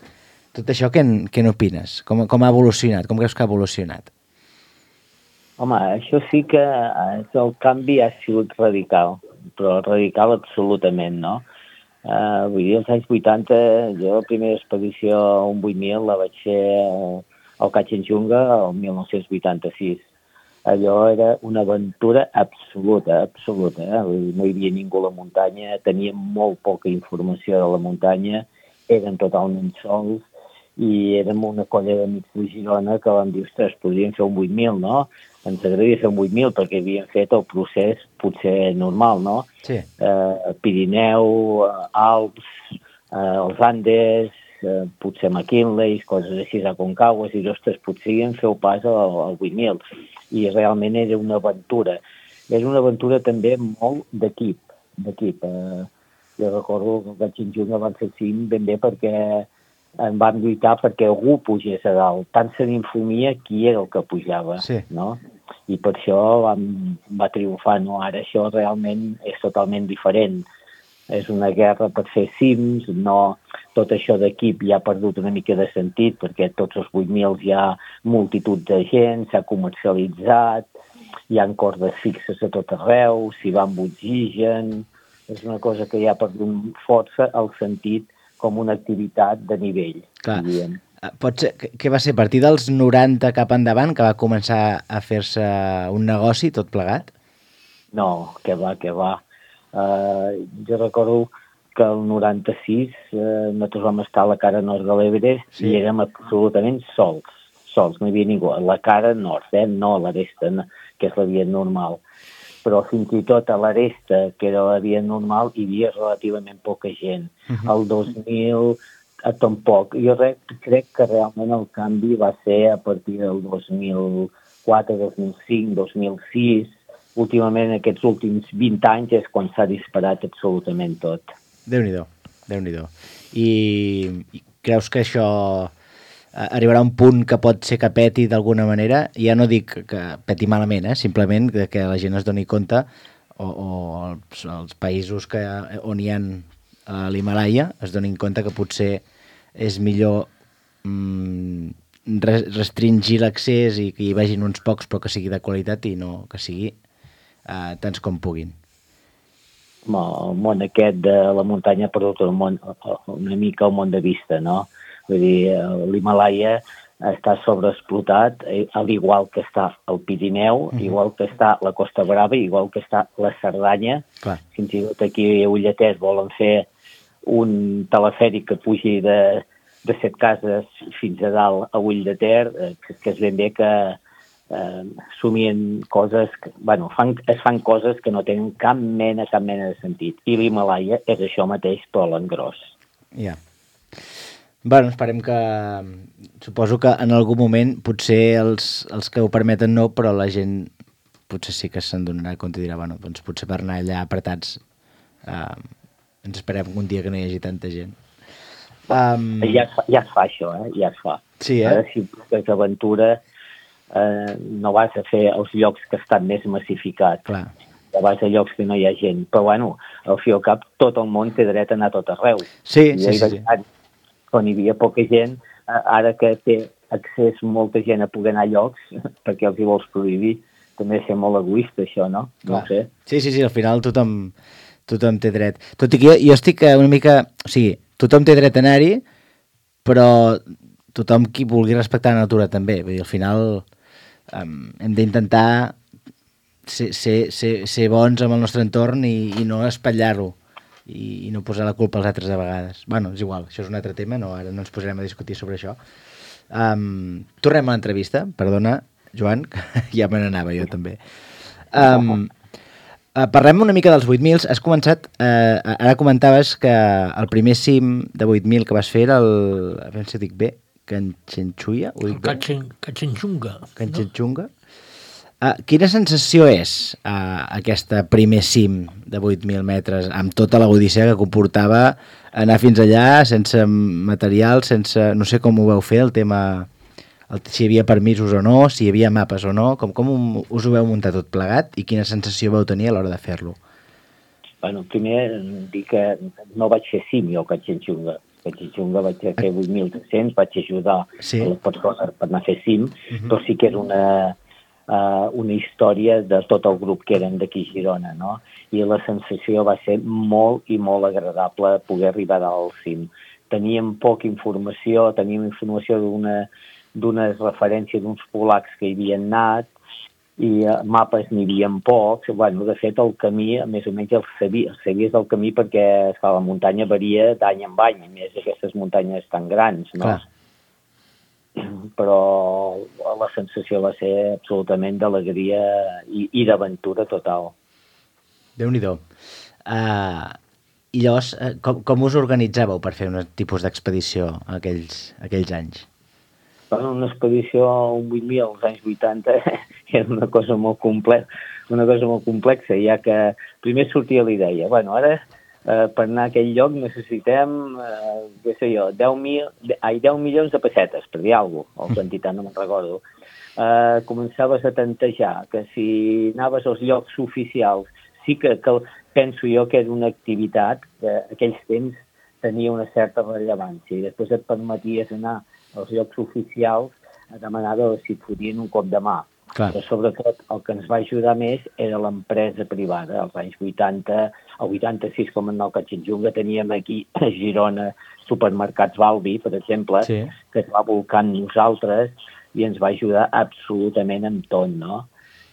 Tot això, què, què n'opines? Com, com ha evolucionat? Com creus que ha evolucionat? Home, això sí que el canvi ha sigut radical, però radical absolutament, no? Uh, vull dir, als anys vuitanta, jo la primera expedició a un vuit mil la vaig fer al Kanchenjunga el mil nou-cents vuitanta-sis. Allò era una aventura absoluta, absoluta. Eh? Vull dir, no hi havia ningú a la muntanya, teníem molt poca informació de la muntanya, eren totalment sols, i érem una colla d'amics de Girona que vam dir, ostres, podríem fer un vuit mil, no? Ens agradaria fer un vuit mil perquè havíem fet el procés potser normal, no? Sí. Eh, Pirineu, Alps, eh, els Andes, eh, potser McKinley, coses així a Concaguas, i ostres, podríem fer el pas al, al vuit mil. I realment era una aventura. Era una aventura també molt d'equip, d'equip. Eh, jo recordo que el Kanchenjunga van fer cim ben bé perquè en vam lluitar perquè algú pugés a dalt. Tant se n'infumia qui era el que pujava, sí. No? I per això vam, va triomfar. No? Ara això realment és totalment diferent. És una guerra per fer cims, no, tot això d'equip ja ha perdut una mica de sentit perquè tots els vuit mil hi ha multitud de gent, s'ha comercialitzat, hi ha cordes fixes a tot arreu, s'hi va amb oxigen, És una cosa que ja ha perdut força el sentit com una activitat de nivell. Clar. Pot ser, què va ser, a partir dels noranta cap endavant que va començar a fer-se un negoci tot plegat? No, que va, que va. Uh, jo recordo que el noranta-sis uh, nosaltres vam estar a la cara nord de l'Everest sí. i érem absolutament sols, sols, no hi havia ningú. A la cara nord, eh? No a l'aresta, que és la via normal. Però fins i tot a l'aresta, que era la via normal, hi havia relativament poca gent. Uh-huh. El dos mil a tampoc. Jo re, crec que realment el canvi va ser a partir del dos mil quatre, dos mil cinc, dos mil sis. Últimament, aquests últims vint anys, és quan s'ha disparat absolutament tot. Déu-n'hi-do, Déu-n'hi-do. I, I creus que això arribarà a un punt que pot ser que peti d'alguna manera? Ja no dic que peti malament, eh? Simplement que la gent es doni compte, o, o els, els països que, on hi ha a l'Himàlaia es donin compte que potser és millor mm, restringir l'accés i que hi vagin uns pocs però que sigui de qualitat i no que sigui uh, tants com puguin. El món aquest de la muntanya ha perdut el món, una mica el món de vista, no? Vull dir, l'Himàlaia està sobreexplotat, al igual que està el Pirineu, uh-huh. igual que està la Costa Brava, igual que està la Cerdanya. Clar. Fins i tot aquí a Ulletet volen fer un telefèric que pugi de, de set cases fins a dalt a Ull de Ter, que, que es ben bé que eh, somien coses, que, bueno, fan, es fan coses que no tenen cap mena, cap mena de sentit. I l'Himàlaia és això mateix, però a l'engròs. Ja. Yeah. Bueno, esperem que... Suposo que en algun moment potser els, els que ho permeten no, però la gent potser sí que se'n donarà compte i dirà, bueno, doncs potser per anar allà apretats eh, ens esperem un dia que no hi hagi tanta gent. Um... Ja, es fa, ja es fa això, eh? Ja es fa. Sí, eh? Ara, si és aventura, eh, no vas a fer els llocs que estan més massificats. Clar. Ja vas a llocs que no hi ha gent. Però, bueno, al fi i al cap, tot el món té dret a anar a tot arreu. Sí, sí, sí. sí. Quan hi havia poca gent, ara que té accés molta gent a poder anar a llocs, perquè els hi vols prohibir, també és ser molt egoista, això, no? No ho sé. Sí, sí, sí, al final tothom, tothom té dret. Tot i que jo, jo estic una mica... O sigui, tothom té dret a anar-hi, però tothom qui vulgui respectar la natura també. Vull dir, al final um, hem d'intentar ser, ser, ser, ser bons amb el nostre entorn i, i no espatllar-lo. I no posar la culpa als altres de vegades. Bueno, és igual, això és un altre tema, no, ara no ens posarem a discutir sobre això. Um, tornem a l'entrevista, perdona, Joan, que ja me n'anava jo també. Um, uh, parlem una mica dels vuit mil. Has començat, uh, ara comentaves que el primer cim de vuit mil que vas fer era el, a veure si ho dic bé, Kanchenjunga? Kanchenjunga. Kanchenjunga. Uh, quina sensació és uh, aquesta primer cim de vuit mil metres amb tota la odissea que comportava anar fins allà sense material, sense... No sé com ho vau fer, el tema... El, si hi havia permisos o no, si hi havia mapes o no, com, com us ho vau muntar tot plegat i quina sensació vau tenir a l'hora de fer-lo? Bueno, primer dir que no vaig fer cim jo a Kanchenjunga. Kanchenjunga vaig fer vuit mil tres-cents, vaig ajudar sí. a les persones per anar a fer cim, uh-huh. però sí que és una... Uh, una història de tot el grup que eren d'aquí a Girona, no? I la sensació va ser molt i molt agradable poder arribar al cim. Teníem poca informació, teníem informació d'una d'unes referències d'uns polacs que hi havien anat i uh, mapes n'hi havia pocs. Bueno, de fet, el camí, més o menys el sabies, el sabies del camí perquè esclar, la muntanya varia d'any en any, a més d'aquestes muntanyes tan grans, no? Clar. Però la sensació va ser absolutament d'alegria i, i d'aventura total. Déu-n'hi-do. Uh, I llavors, uh, com, com us organitzàveu per fer un tipus d'expedició aquells, aquells anys? Bueno, una expedició un vuit mil als anys vuitanta era una cosa molt complexa, una cosa molt complexa, ja que primer sortia la idea, bueno, ara Uh, per anar a aquell lloc necessitem, uh, què sé jo, deu, mil, ai, deu milions de pessetes, per dir alguna cosa, o quantitat, no me'n recordo. Uh, començaves a tantejar que si anaves als llocs oficials, sí que, que penso jo que era una activitat que aquells temps tenia una certa rellevància i després et permeties anar als llocs oficials a demanar si et fotien un cop de mà. Clar. Però sobretot el que ens va ajudar més era l'empresa privada. Als anys vuitanta, el vuitanta-sis, com en el Catxinjunga, teníem aquí a Girona supermercats Balbi, per exemple, Sí. que es va volcant nosaltres i ens va ajudar absolutament amb tot, no?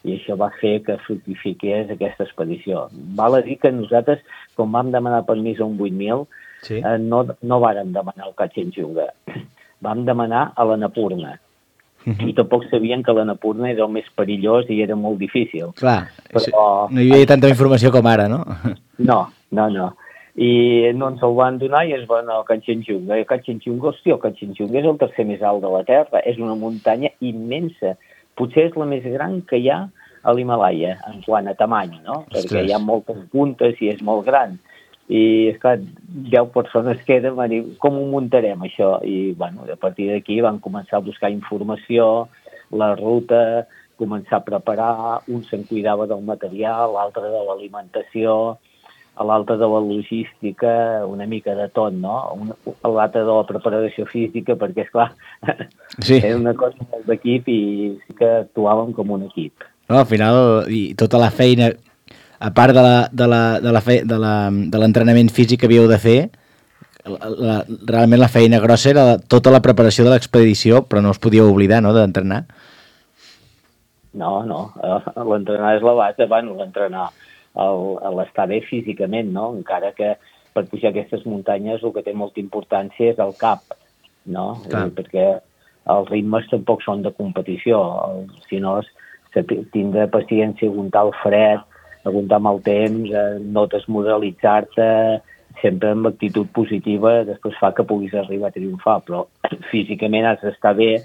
I això va fer que fructifiqués aquesta expedició. Val a dir que nosaltres, quan vam demanar permís a un vuit mil, Sí. eh, no, no vàrem demanar el Catxinjunga. Vam demanar a l'Annapurna. I tampoc sabien que l'Annapurna era el més perillós i era molt difícil. Clar, Però- no hi havia tanta informació com ara, no? No, no, no. I no ens el van donar i ens van anar al Catxinjunga. I el Catxinjunga, hòstia, el Catxinjunga és el tercer més alt de la Terra. És una muntanya immensa. Potser és la més gran que hi ha a l'Himalaya, en quant a tamany, no? Ostres. Perquè hi ha moltes puntes i és molt gran. I, esclar, deu persones queden, van dir, com ho muntarem, això? I, bueno, a partir d'aquí van començar a buscar informació, la ruta, començar a preparar, un se'n cuidava del material, l'altre de l'alimentació, l'altre de la logística, una mica de tot, no? Un- L'altre de la preparació física, perquè, esclar, Sí. era una cosa molt d'equip i sí que actuàvem com un equip. No, al final, i tota la feina, a part de la- de la- de la fe- de la- de l'entrenament físic que havíeu de fer, la, la, realment la feina grossa era la- tota la preparació de l'expedició, però no us podíeu oblidar, no?, d'entrenar. No, no, eh, l'entrenar és la base, bueno, l'entrenar, el- l'estar bé físicament, no? Encara que per pujar aquestes muntanyes el que té molta importància és el cap, no? Clar. Eh, perquè els ritmes tampoc són de competició, el, si no és saber- tindre paciència, aguantar el fred, aguantar amb el temps, eh, no desmoralitzar-te, sempre amb actitud positiva, després fa que puguis arribar a triomfar, però físicament has d'estar bé,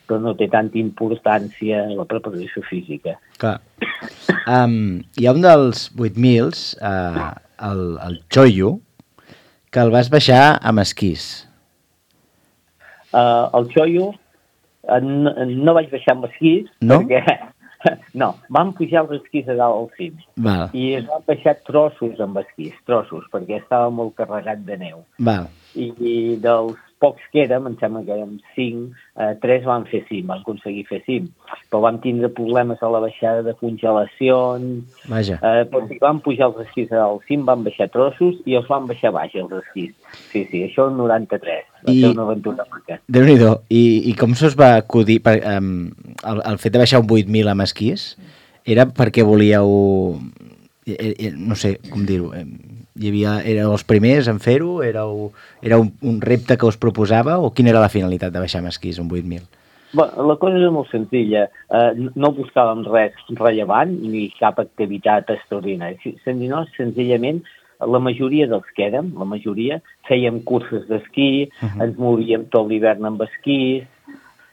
però no té tanta importància la preparació física. Clar. Um, hi ha un dels vuit mils, uh, el, el Choyu, que el vas baixar amb esquís. Uh, el Choyu uh, no, no vaig baixar amb esquís, No? perquè no, vam pujar els esquís a dalt al cim Val, i es van baixar trossos amb esquís, trossos, perquè estava molt carregat de neu. val. I, i dels pocs que érem, em sembla que érem cinc, eh, tres van fer cim, van aconseguir fer cim, però vam tindre problemes a la baixada de congelacions, Vaja. eh, però si vam pujar els esquís al cim, van baixar trossos i els van baixar baix, els esquís. Sí, sí, això el noranta-tres, va I- ser una aventura maca. Déu-n'hi-do. I, I com se us va acudir... Per, um, el, el fet de baixar un vuit mil amb esquís era perquè volíeu... eh, eh, No sé com dir-ho. eh, Hi havia, éreu els primers en fer-ho? Éreu, era un, un repte que us proposava? O quina era la finalitat de baixar amb esquís un vuit mil? Bé, la cosa era molt senzilla. Eh, no buscàvem res rellevant ni cap activitat extraordinària, sinó senzillament la majoria dels que érem, la majoria, fèiem curses d'esquí, uh -huh. ens movíem tot l'hivern amb esquís,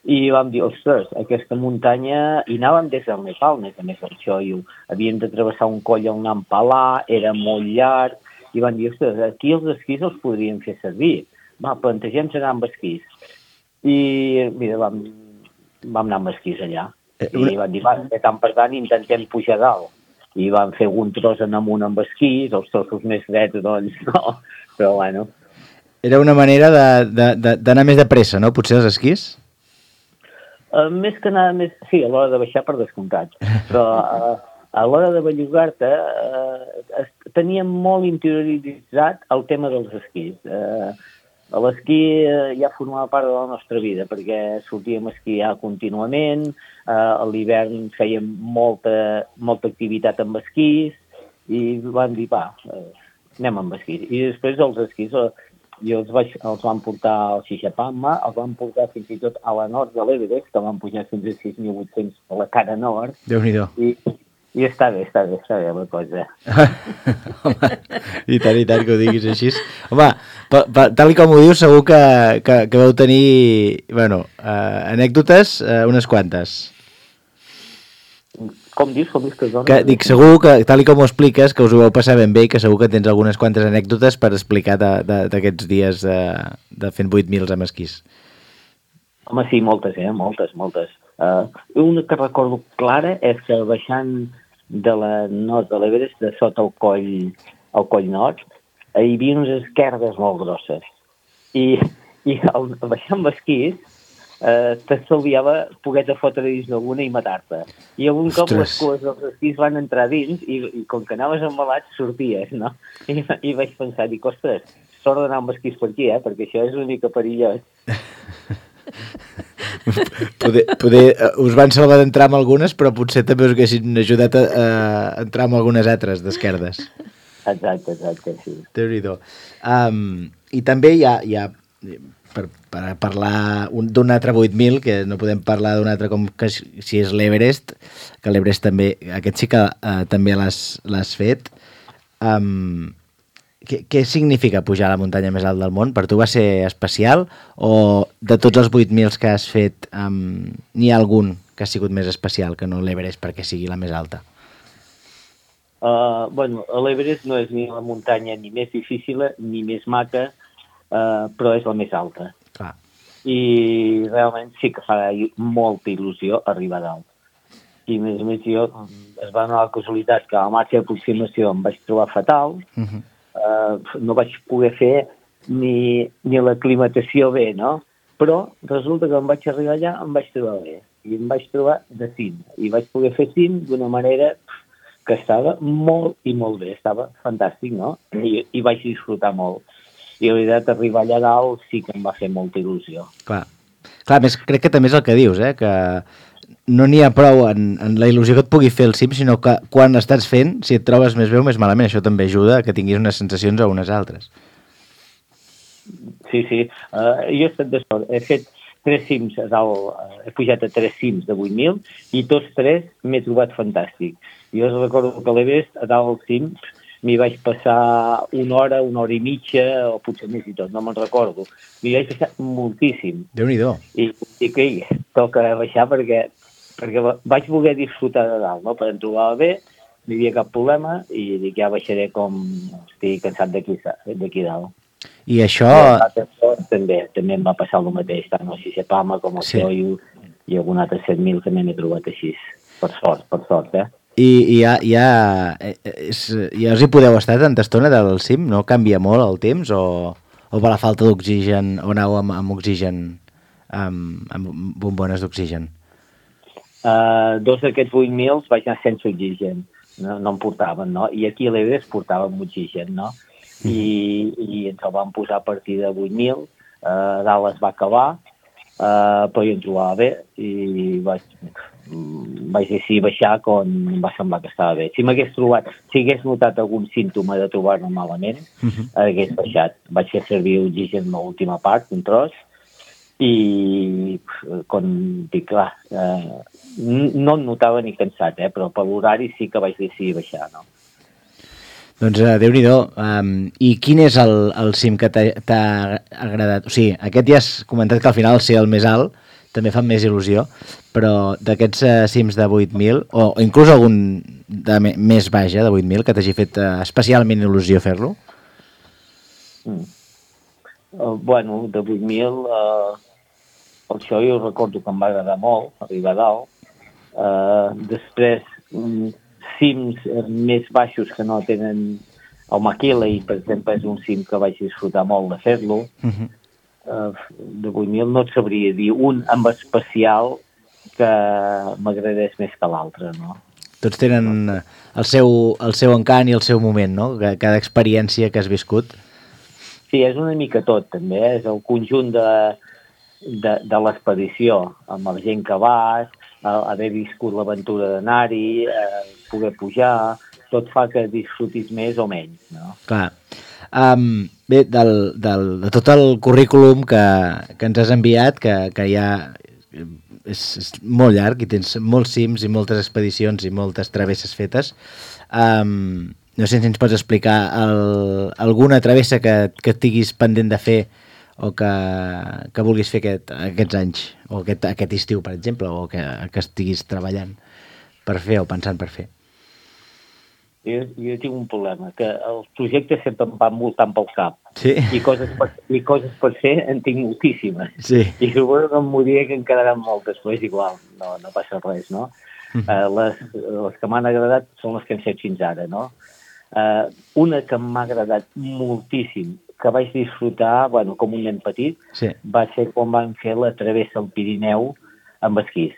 i vam dir, ostres, aquesta muntanya... I anàvem des del Nepal, més a més del Choyu. Havíem de travessar un coll al Nampalà, era molt llarg, i vam dir, ostres, aquí els esquís els podríem fer servir. Va, plantegem-nos anar amb esquís. I, mira, vam, vam anar amb esquís allà. Eh, I una- vam dir, va, de tant per tant, intentem pujar a dalt. I vam fer un tros en amunt amb esquís, els trossos més drets, doncs, no. Però, bueno, Era una manera de- de- de- d'anar més de pressa, no? Potser els esquís? Uh, més que nada, més, sí, a l'hora de baixar per descomptat, però uh, a l'hora de bellugar-te uh, teníem molt interioritzat el tema dels esquís. Uh, L'esquí uh, ja formava part de la nostra vida, perquè sortíem a esquiar contínuament, uh, a l'hivern fèiem molta, molta activitat amb esquís, i vam dir, va, uh, anem amb esquís. I després els esquís... Uh, i els, vaig, els van portar al Xixapamma, els van portar fins i tot a la nord de l'Everest, que van pujar fins a sis mil vuit-cents a la cara nord, Déu-n'hi-do. i, i està bé, està bé, està bé la cosa. Home, i tant, i tant que ho diguis així. Home, pa, pa, tal i com ho dius, segur que, que, que vau tenir, bueno, uh, anècdotes, uh, unes quantes. Com dius, com dius que dona? Que, dic, segur que, tal i com ho expliques, que us ho vau passar ben bé i que segur que tens algunes quantes anècdotes per explicar d'aquests dies de, de fent vuit mils amb esquís. Home, sí, moltes, eh? Moltes, moltes. Uh, una que recordo clara és que baixant de la nord de l'Everest, de sota el coll, el coll nord, hi havia unes esquerdes molt grosses. I, i al baixar amb esquís, eh, t'estalviava poder-te fotre dins d'alguna i matar-te. I algun cop les cues dels esquís van entrar dins i, i com que anaves embalat sorties, no? I, i vaig pensar, dic, ostres, sort d'anar amb esquís per aquí, eh? Perquè això és una mica perillós. poder, poder, us van salvar d'entrar amb algunes, però potser també us haguessin ajudat a, a entrar amb algunes altres d'esquerdes. Exacte, exacte, sí. Déu-n'hi-do. Um, I també hi ha, hi ha per, per parlar d'un altre vuit mil, que no podem parlar d'un altre com que si és l'Everest, que l'Everest també, aquest sí que uh, també l'has fet. Um, què, què significa pujar a la muntanya més alta del món? Per tu va ser especial o de tots els vuit mil que has fet um, n'hi ha algun que ha sigut més especial que no l'Everest perquè sigui la més alta? Uh, bueno, l'Everest no és ni la muntanya ni més difícil ni més maca, uh, però és la més alta. Clar. I realment sí que fa molta il·lusió arribar a dalt. I a més a més jo es va donar la casualitat que a la marxa d'aproximació em vaig trobar fatal, uh-huh. uh, no vaig poder fer ni, ni l'aclimatació bé, no? Però resulta que em vaig arribar allà, em vaig trobar bé. I em vaig trobar de cim. I vaig poder fer cim d'una manera que estava molt i molt bé, estava fantàstic, no? I, i vaig disfrutar molt. I la veritat, arribar allà dalt sí que em va fer molta il·lusió. Clar, Clar més, crec que també és el que dius, eh? Que no n'hi ha prou en, en la il·lusió que et pugui fer el cim, sinó que quan estàs fent, si et trobes més bé o més malament, això també ajuda a que tinguis unes sensacions o unes altres. Sí, sí. Uh, jo he estat de sort. He fet tres cims a dalt, uh, he pujat a tres cims de vuit mil i tots tres m'he trobat fantàstic. Jo recordo que a l'Everest, a dalt al cim, m'hi vaig passar una hora, una hora i mitja, o potser més i tot, no me'n recordo. M'hi vaig passar moltíssim. Déu-n'hi-do. I dic, ei, toca baixar perquè, perquè vaig voler disfrutar de dalt, no? Per em trobava bé, no hi havia cap problema, i dic, ja baixaré com estic cansat d'aquí dalt. I això... També, també em va passar el mateix, tant el Sisepama com el sí. Soyu i algun altre set mil també m'he trobat així. Per sort, per sort, eh? I, i ja, ja, és, ja us hi podeu estar tanta estona del cim? No canvia molt el temps? O, o per la falta d'oxigen, o aneu amb, amb oxigen, amb, amb bombones d'oxigen? Uh, dos d'aquests vuit mil vaig anar sense oxigen, no, no em portaven, no? I aquí a l'Everest portàvem oxigen, no? I, i ens el van posar a partir de vuit mil, uh, dalt es va acabar, uh, però jo em trobava bé i vaig, vaig decidir baixar quan em va semblar que estava bé. Si m'hagués trobat, si hagués notat algun símptoma de trobar-me malament, uh-huh. hagués baixat. Vaig fer servir oxigen a l'última part, un tros, i quan dic, clar, eh, no em notava ni cansat, eh, però per l'horari sí que vaig decidir baixar, no? Doncs uh, Déu-n'hi-do. Um, I quin és el, el cim que t'ha agradat? O sigui, aquest ja has comentat que al final ser el més alt també fa més il·lusió, però d'aquests uh, cims de vuit mil, o, o inclús algun de me, més baixa, de vuit mil, que t'hagi fet uh, especialment il·lusió fer-lo? Mm. Uh, bueno, de vuit mil, uh, això jo recordo que em va agradar molt, arribar a dalt. Uh, després, um, cims més baixos que no tenen el Maquiley, per exemple, és un cim que vaig disfrutar molt de fer-lo. Uh-huh. Uh, de vuit mil no et sabria dir un amb especial que m'agradés més que l'altre, no? Tots tenen el seu, el seu encant i el seu moment, no? Cada experiència que has viscut. Sí, és una mica tot, també. Eh? És el conjunt de, de, de l'expedició, amb la gent que vas, haver viscut l'aventura d'anar-hi, eh, poder pujar, tot fa que disfrutis més o menys, no? Clar. Um, bé, del, del, de tot el currículum que, que ens has enviat, que, que ja és, és molt llarg i tens molts cims i moltes expedicions i moltes travesses fetes, um, no sé si ens pots explicar el, alguna travessa que, que estiguis pendent de fer o que, que vulguis fer aquest, aquests anys, o aquest, aquest estiu, per exemple, o que, que estiguis treballant per fer o pensant per fer. Jo, jo tinc un problema, que els projectes sempre em van voltant pel cap. Sí. I coses per, i coses per fer en tinc moltíssimes. Sí. I suposo que em moriré que en quedaran moltes, però és igual, no, no passa res, no? Mm. Uh, les, les que m'han agradat són les que hem fet fins ara, no? Uh, una que m'ha agradat moltíssim, que vaig disfrutar, bueno, com un nen petit, Sí. va ser quan vam fer la travessa al Pirineu amb esquís.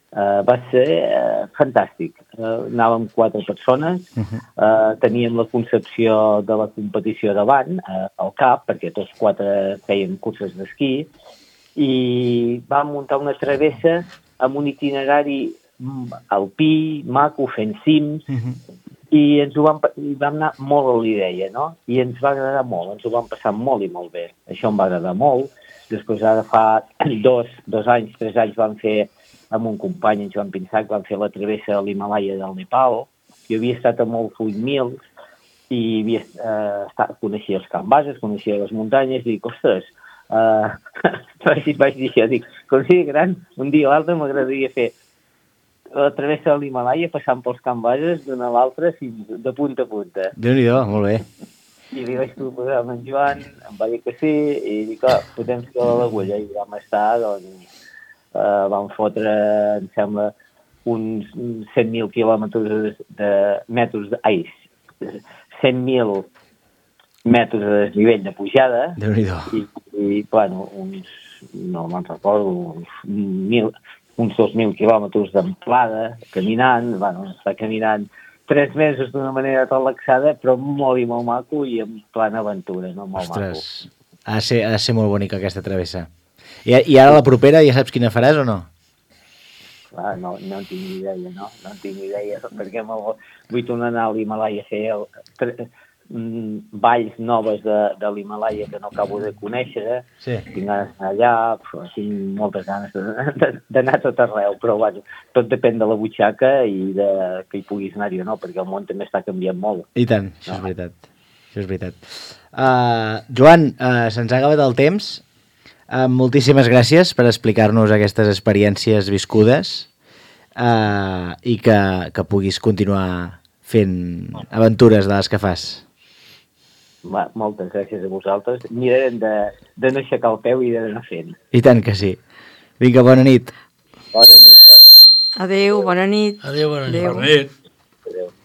Uh, va ser uh, fantàstic. Uh, anàvem quatre persones, uh, teníem la concepció de la competició davant, uh, al cap, perquè tots quatre feien curses d'esquí, i vam muntar una travessa amb un itinerari alpí, maco, fent cims, i ens ho vam, i vam anar molt a l'idea, no? I ens va agradar molt, ens ho vam passar molt i molt bé. Això em va agradar molt. Després, ara fa dos, dos anys, tres anys, vam fer amb un company, en Joan Pinsac, vam fer la travessa a l'Himalaya del Nepal. Jo havia estat a molts vuit mil i havia, eh, estat, coneixia els camps bases, coneixia les muntanyes, i dic, ostres, eh, vaig, vaig dir això, dic, com sigui gran, un dia o l'altre m'agradaria fer la travessa de l'Himalaya passant pels camps bases d'una a l'altra fins de punta a punta. Déu-n'hi-do, molt bé. I li vaig proposar amb en Joan, em va dir que sí, i dic, ah, podem fer l'agulla, i vam estar, doncs, eh, vam fotre, em sembla, uns cent mil quilòmetres de, de metres, de, ai, cent mil metres de desnivell de pujada, Déu-n'hi-do. i, i, bueno, uns, no me'n recordo, uns mil, uns dos mil quilòmetres d'amplada, caminant, bueno, està caminant tres mesos d'una manera relaxada, però molt i molt maco i en plan aventura, no? Molt Ostres, ha de, ser, ha de ser molt bonica aquesta travessa. I, I ara la propera ja saps quina faràs o no? Clar, no, no en tinc ni idea, no? No en tinc ni idea, perquè vull tornar a anar a l'Himalaya a fer el, tre, mm, valls noves de, de l'Himalaya que no acabo de conèixer. Sí. Tinc ganes d'anar allà, però tinc moltes ganes d'anar a tot arreu, però bueno, tot depèn de la butxaca i de que hi puguis anar-hi o no, perquè el món també està canviant molt. I tant, això No. és veritat. Això és veritat. Uh, Joan, uh, se'ns ha acabat el temps. Uh, moltíssimes gràcies per explicar-nos aquestes experiències viscudes uh, i que, que puguis continuar fent aventures de les que fas. Va, moltes gràcies a vosaltres. Mirarem de, de no aixecar el peu i d'anar fent. I tant que sí. Vinga, bona nit. Bona nit. Bona nit. Adéu, bona nit. Adéu, bona nit. Adéu. Bona nit. Adéu.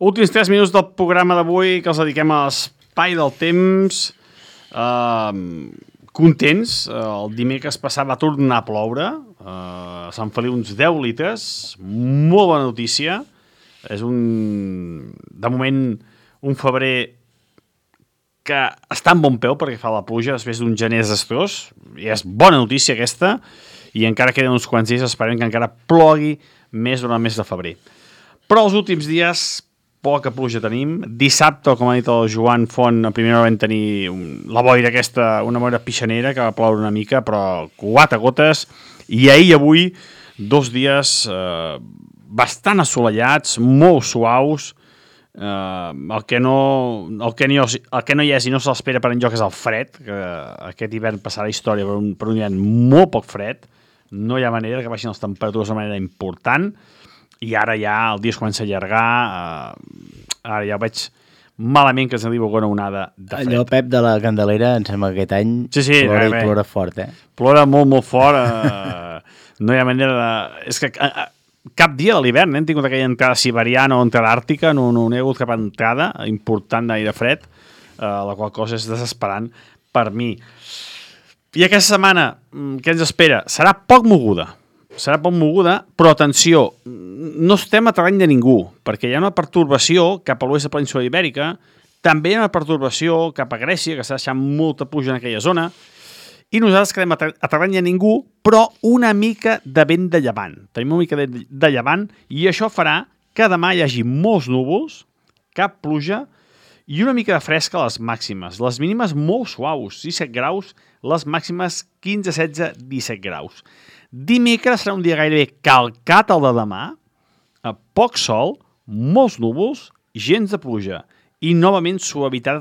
Últims tres minuts del programa d'avui que els dediquem a l'espai del temps. Uh, contents. Uh, el dimecres passat va tornar a ploure. Uh, a Sant Feliu uns deu litres. Molt bona notícia. És un, de moment, un febrer que està en bon peu perquè fa la pluja després d'un gener desastrós. I és bona notícia aquesta. I encara queden uns quants dies, esperem que encara plogui més durant el mes de febrer. Però els últims dies poca pluja tenim. Dissabte, com ha dit el Joan Font, a primera hora vam tenir un, la boira aquesta, una boira pixanera, que va ploure una mica, però quatre gotes. I ahir i avui, dos dies eh, bastant assolellats, molt suaus. Eh, el, que no, el, que no, el que no hi és i no se l'espera per enlloc és el fred, que aquest hivern passarà la història per un, per un hivern molt poc fred. No hi ha manera que baixin les temperatures de manera important. I ara ja el dia es comença a allargar, eh, ara ja veig malament que ens arriba alguna onada de fred. Allò, Pep, de la Candelera, em sembla que aquest any sí, sí, plora bé, i bé. plora fort, eh? Plora molt, molt fort. Eh, no hi ha manera de... És que eh, cap dia de l'hivern eh, hem tingut aquella entrada siberiana o entrada àrtica, no, no, no hi ha hagut cap entrada important d'aire fred, eh, la qual cosa és desesperant per mi. I aquesta setmana, què ens espera? Serà poc moguda. Serà poc moguda, però atenció, no estem a terreny de ningú, perquè hi ha una pertorbació cap a l'oest de la península ibèrica, també hi ha una pertorbació cap a Grècia, que està deixant molta pluja en aquella zona, i nosaltres quedem a, ter a terreny de ningú, però una mica de vent de llevant. Tenim una mica de, de llevant, i això farà que demà hi hagi molts núvols, cap pluja, i una mica de fresca a les màximes. Les mínimes molt suaus, disset graus, les màximes quinze, setze, disset graus. Dimecres serà un dia gairebé calcat al de demà, a poc sol, molts núvols, gens de pluja i novament suavitat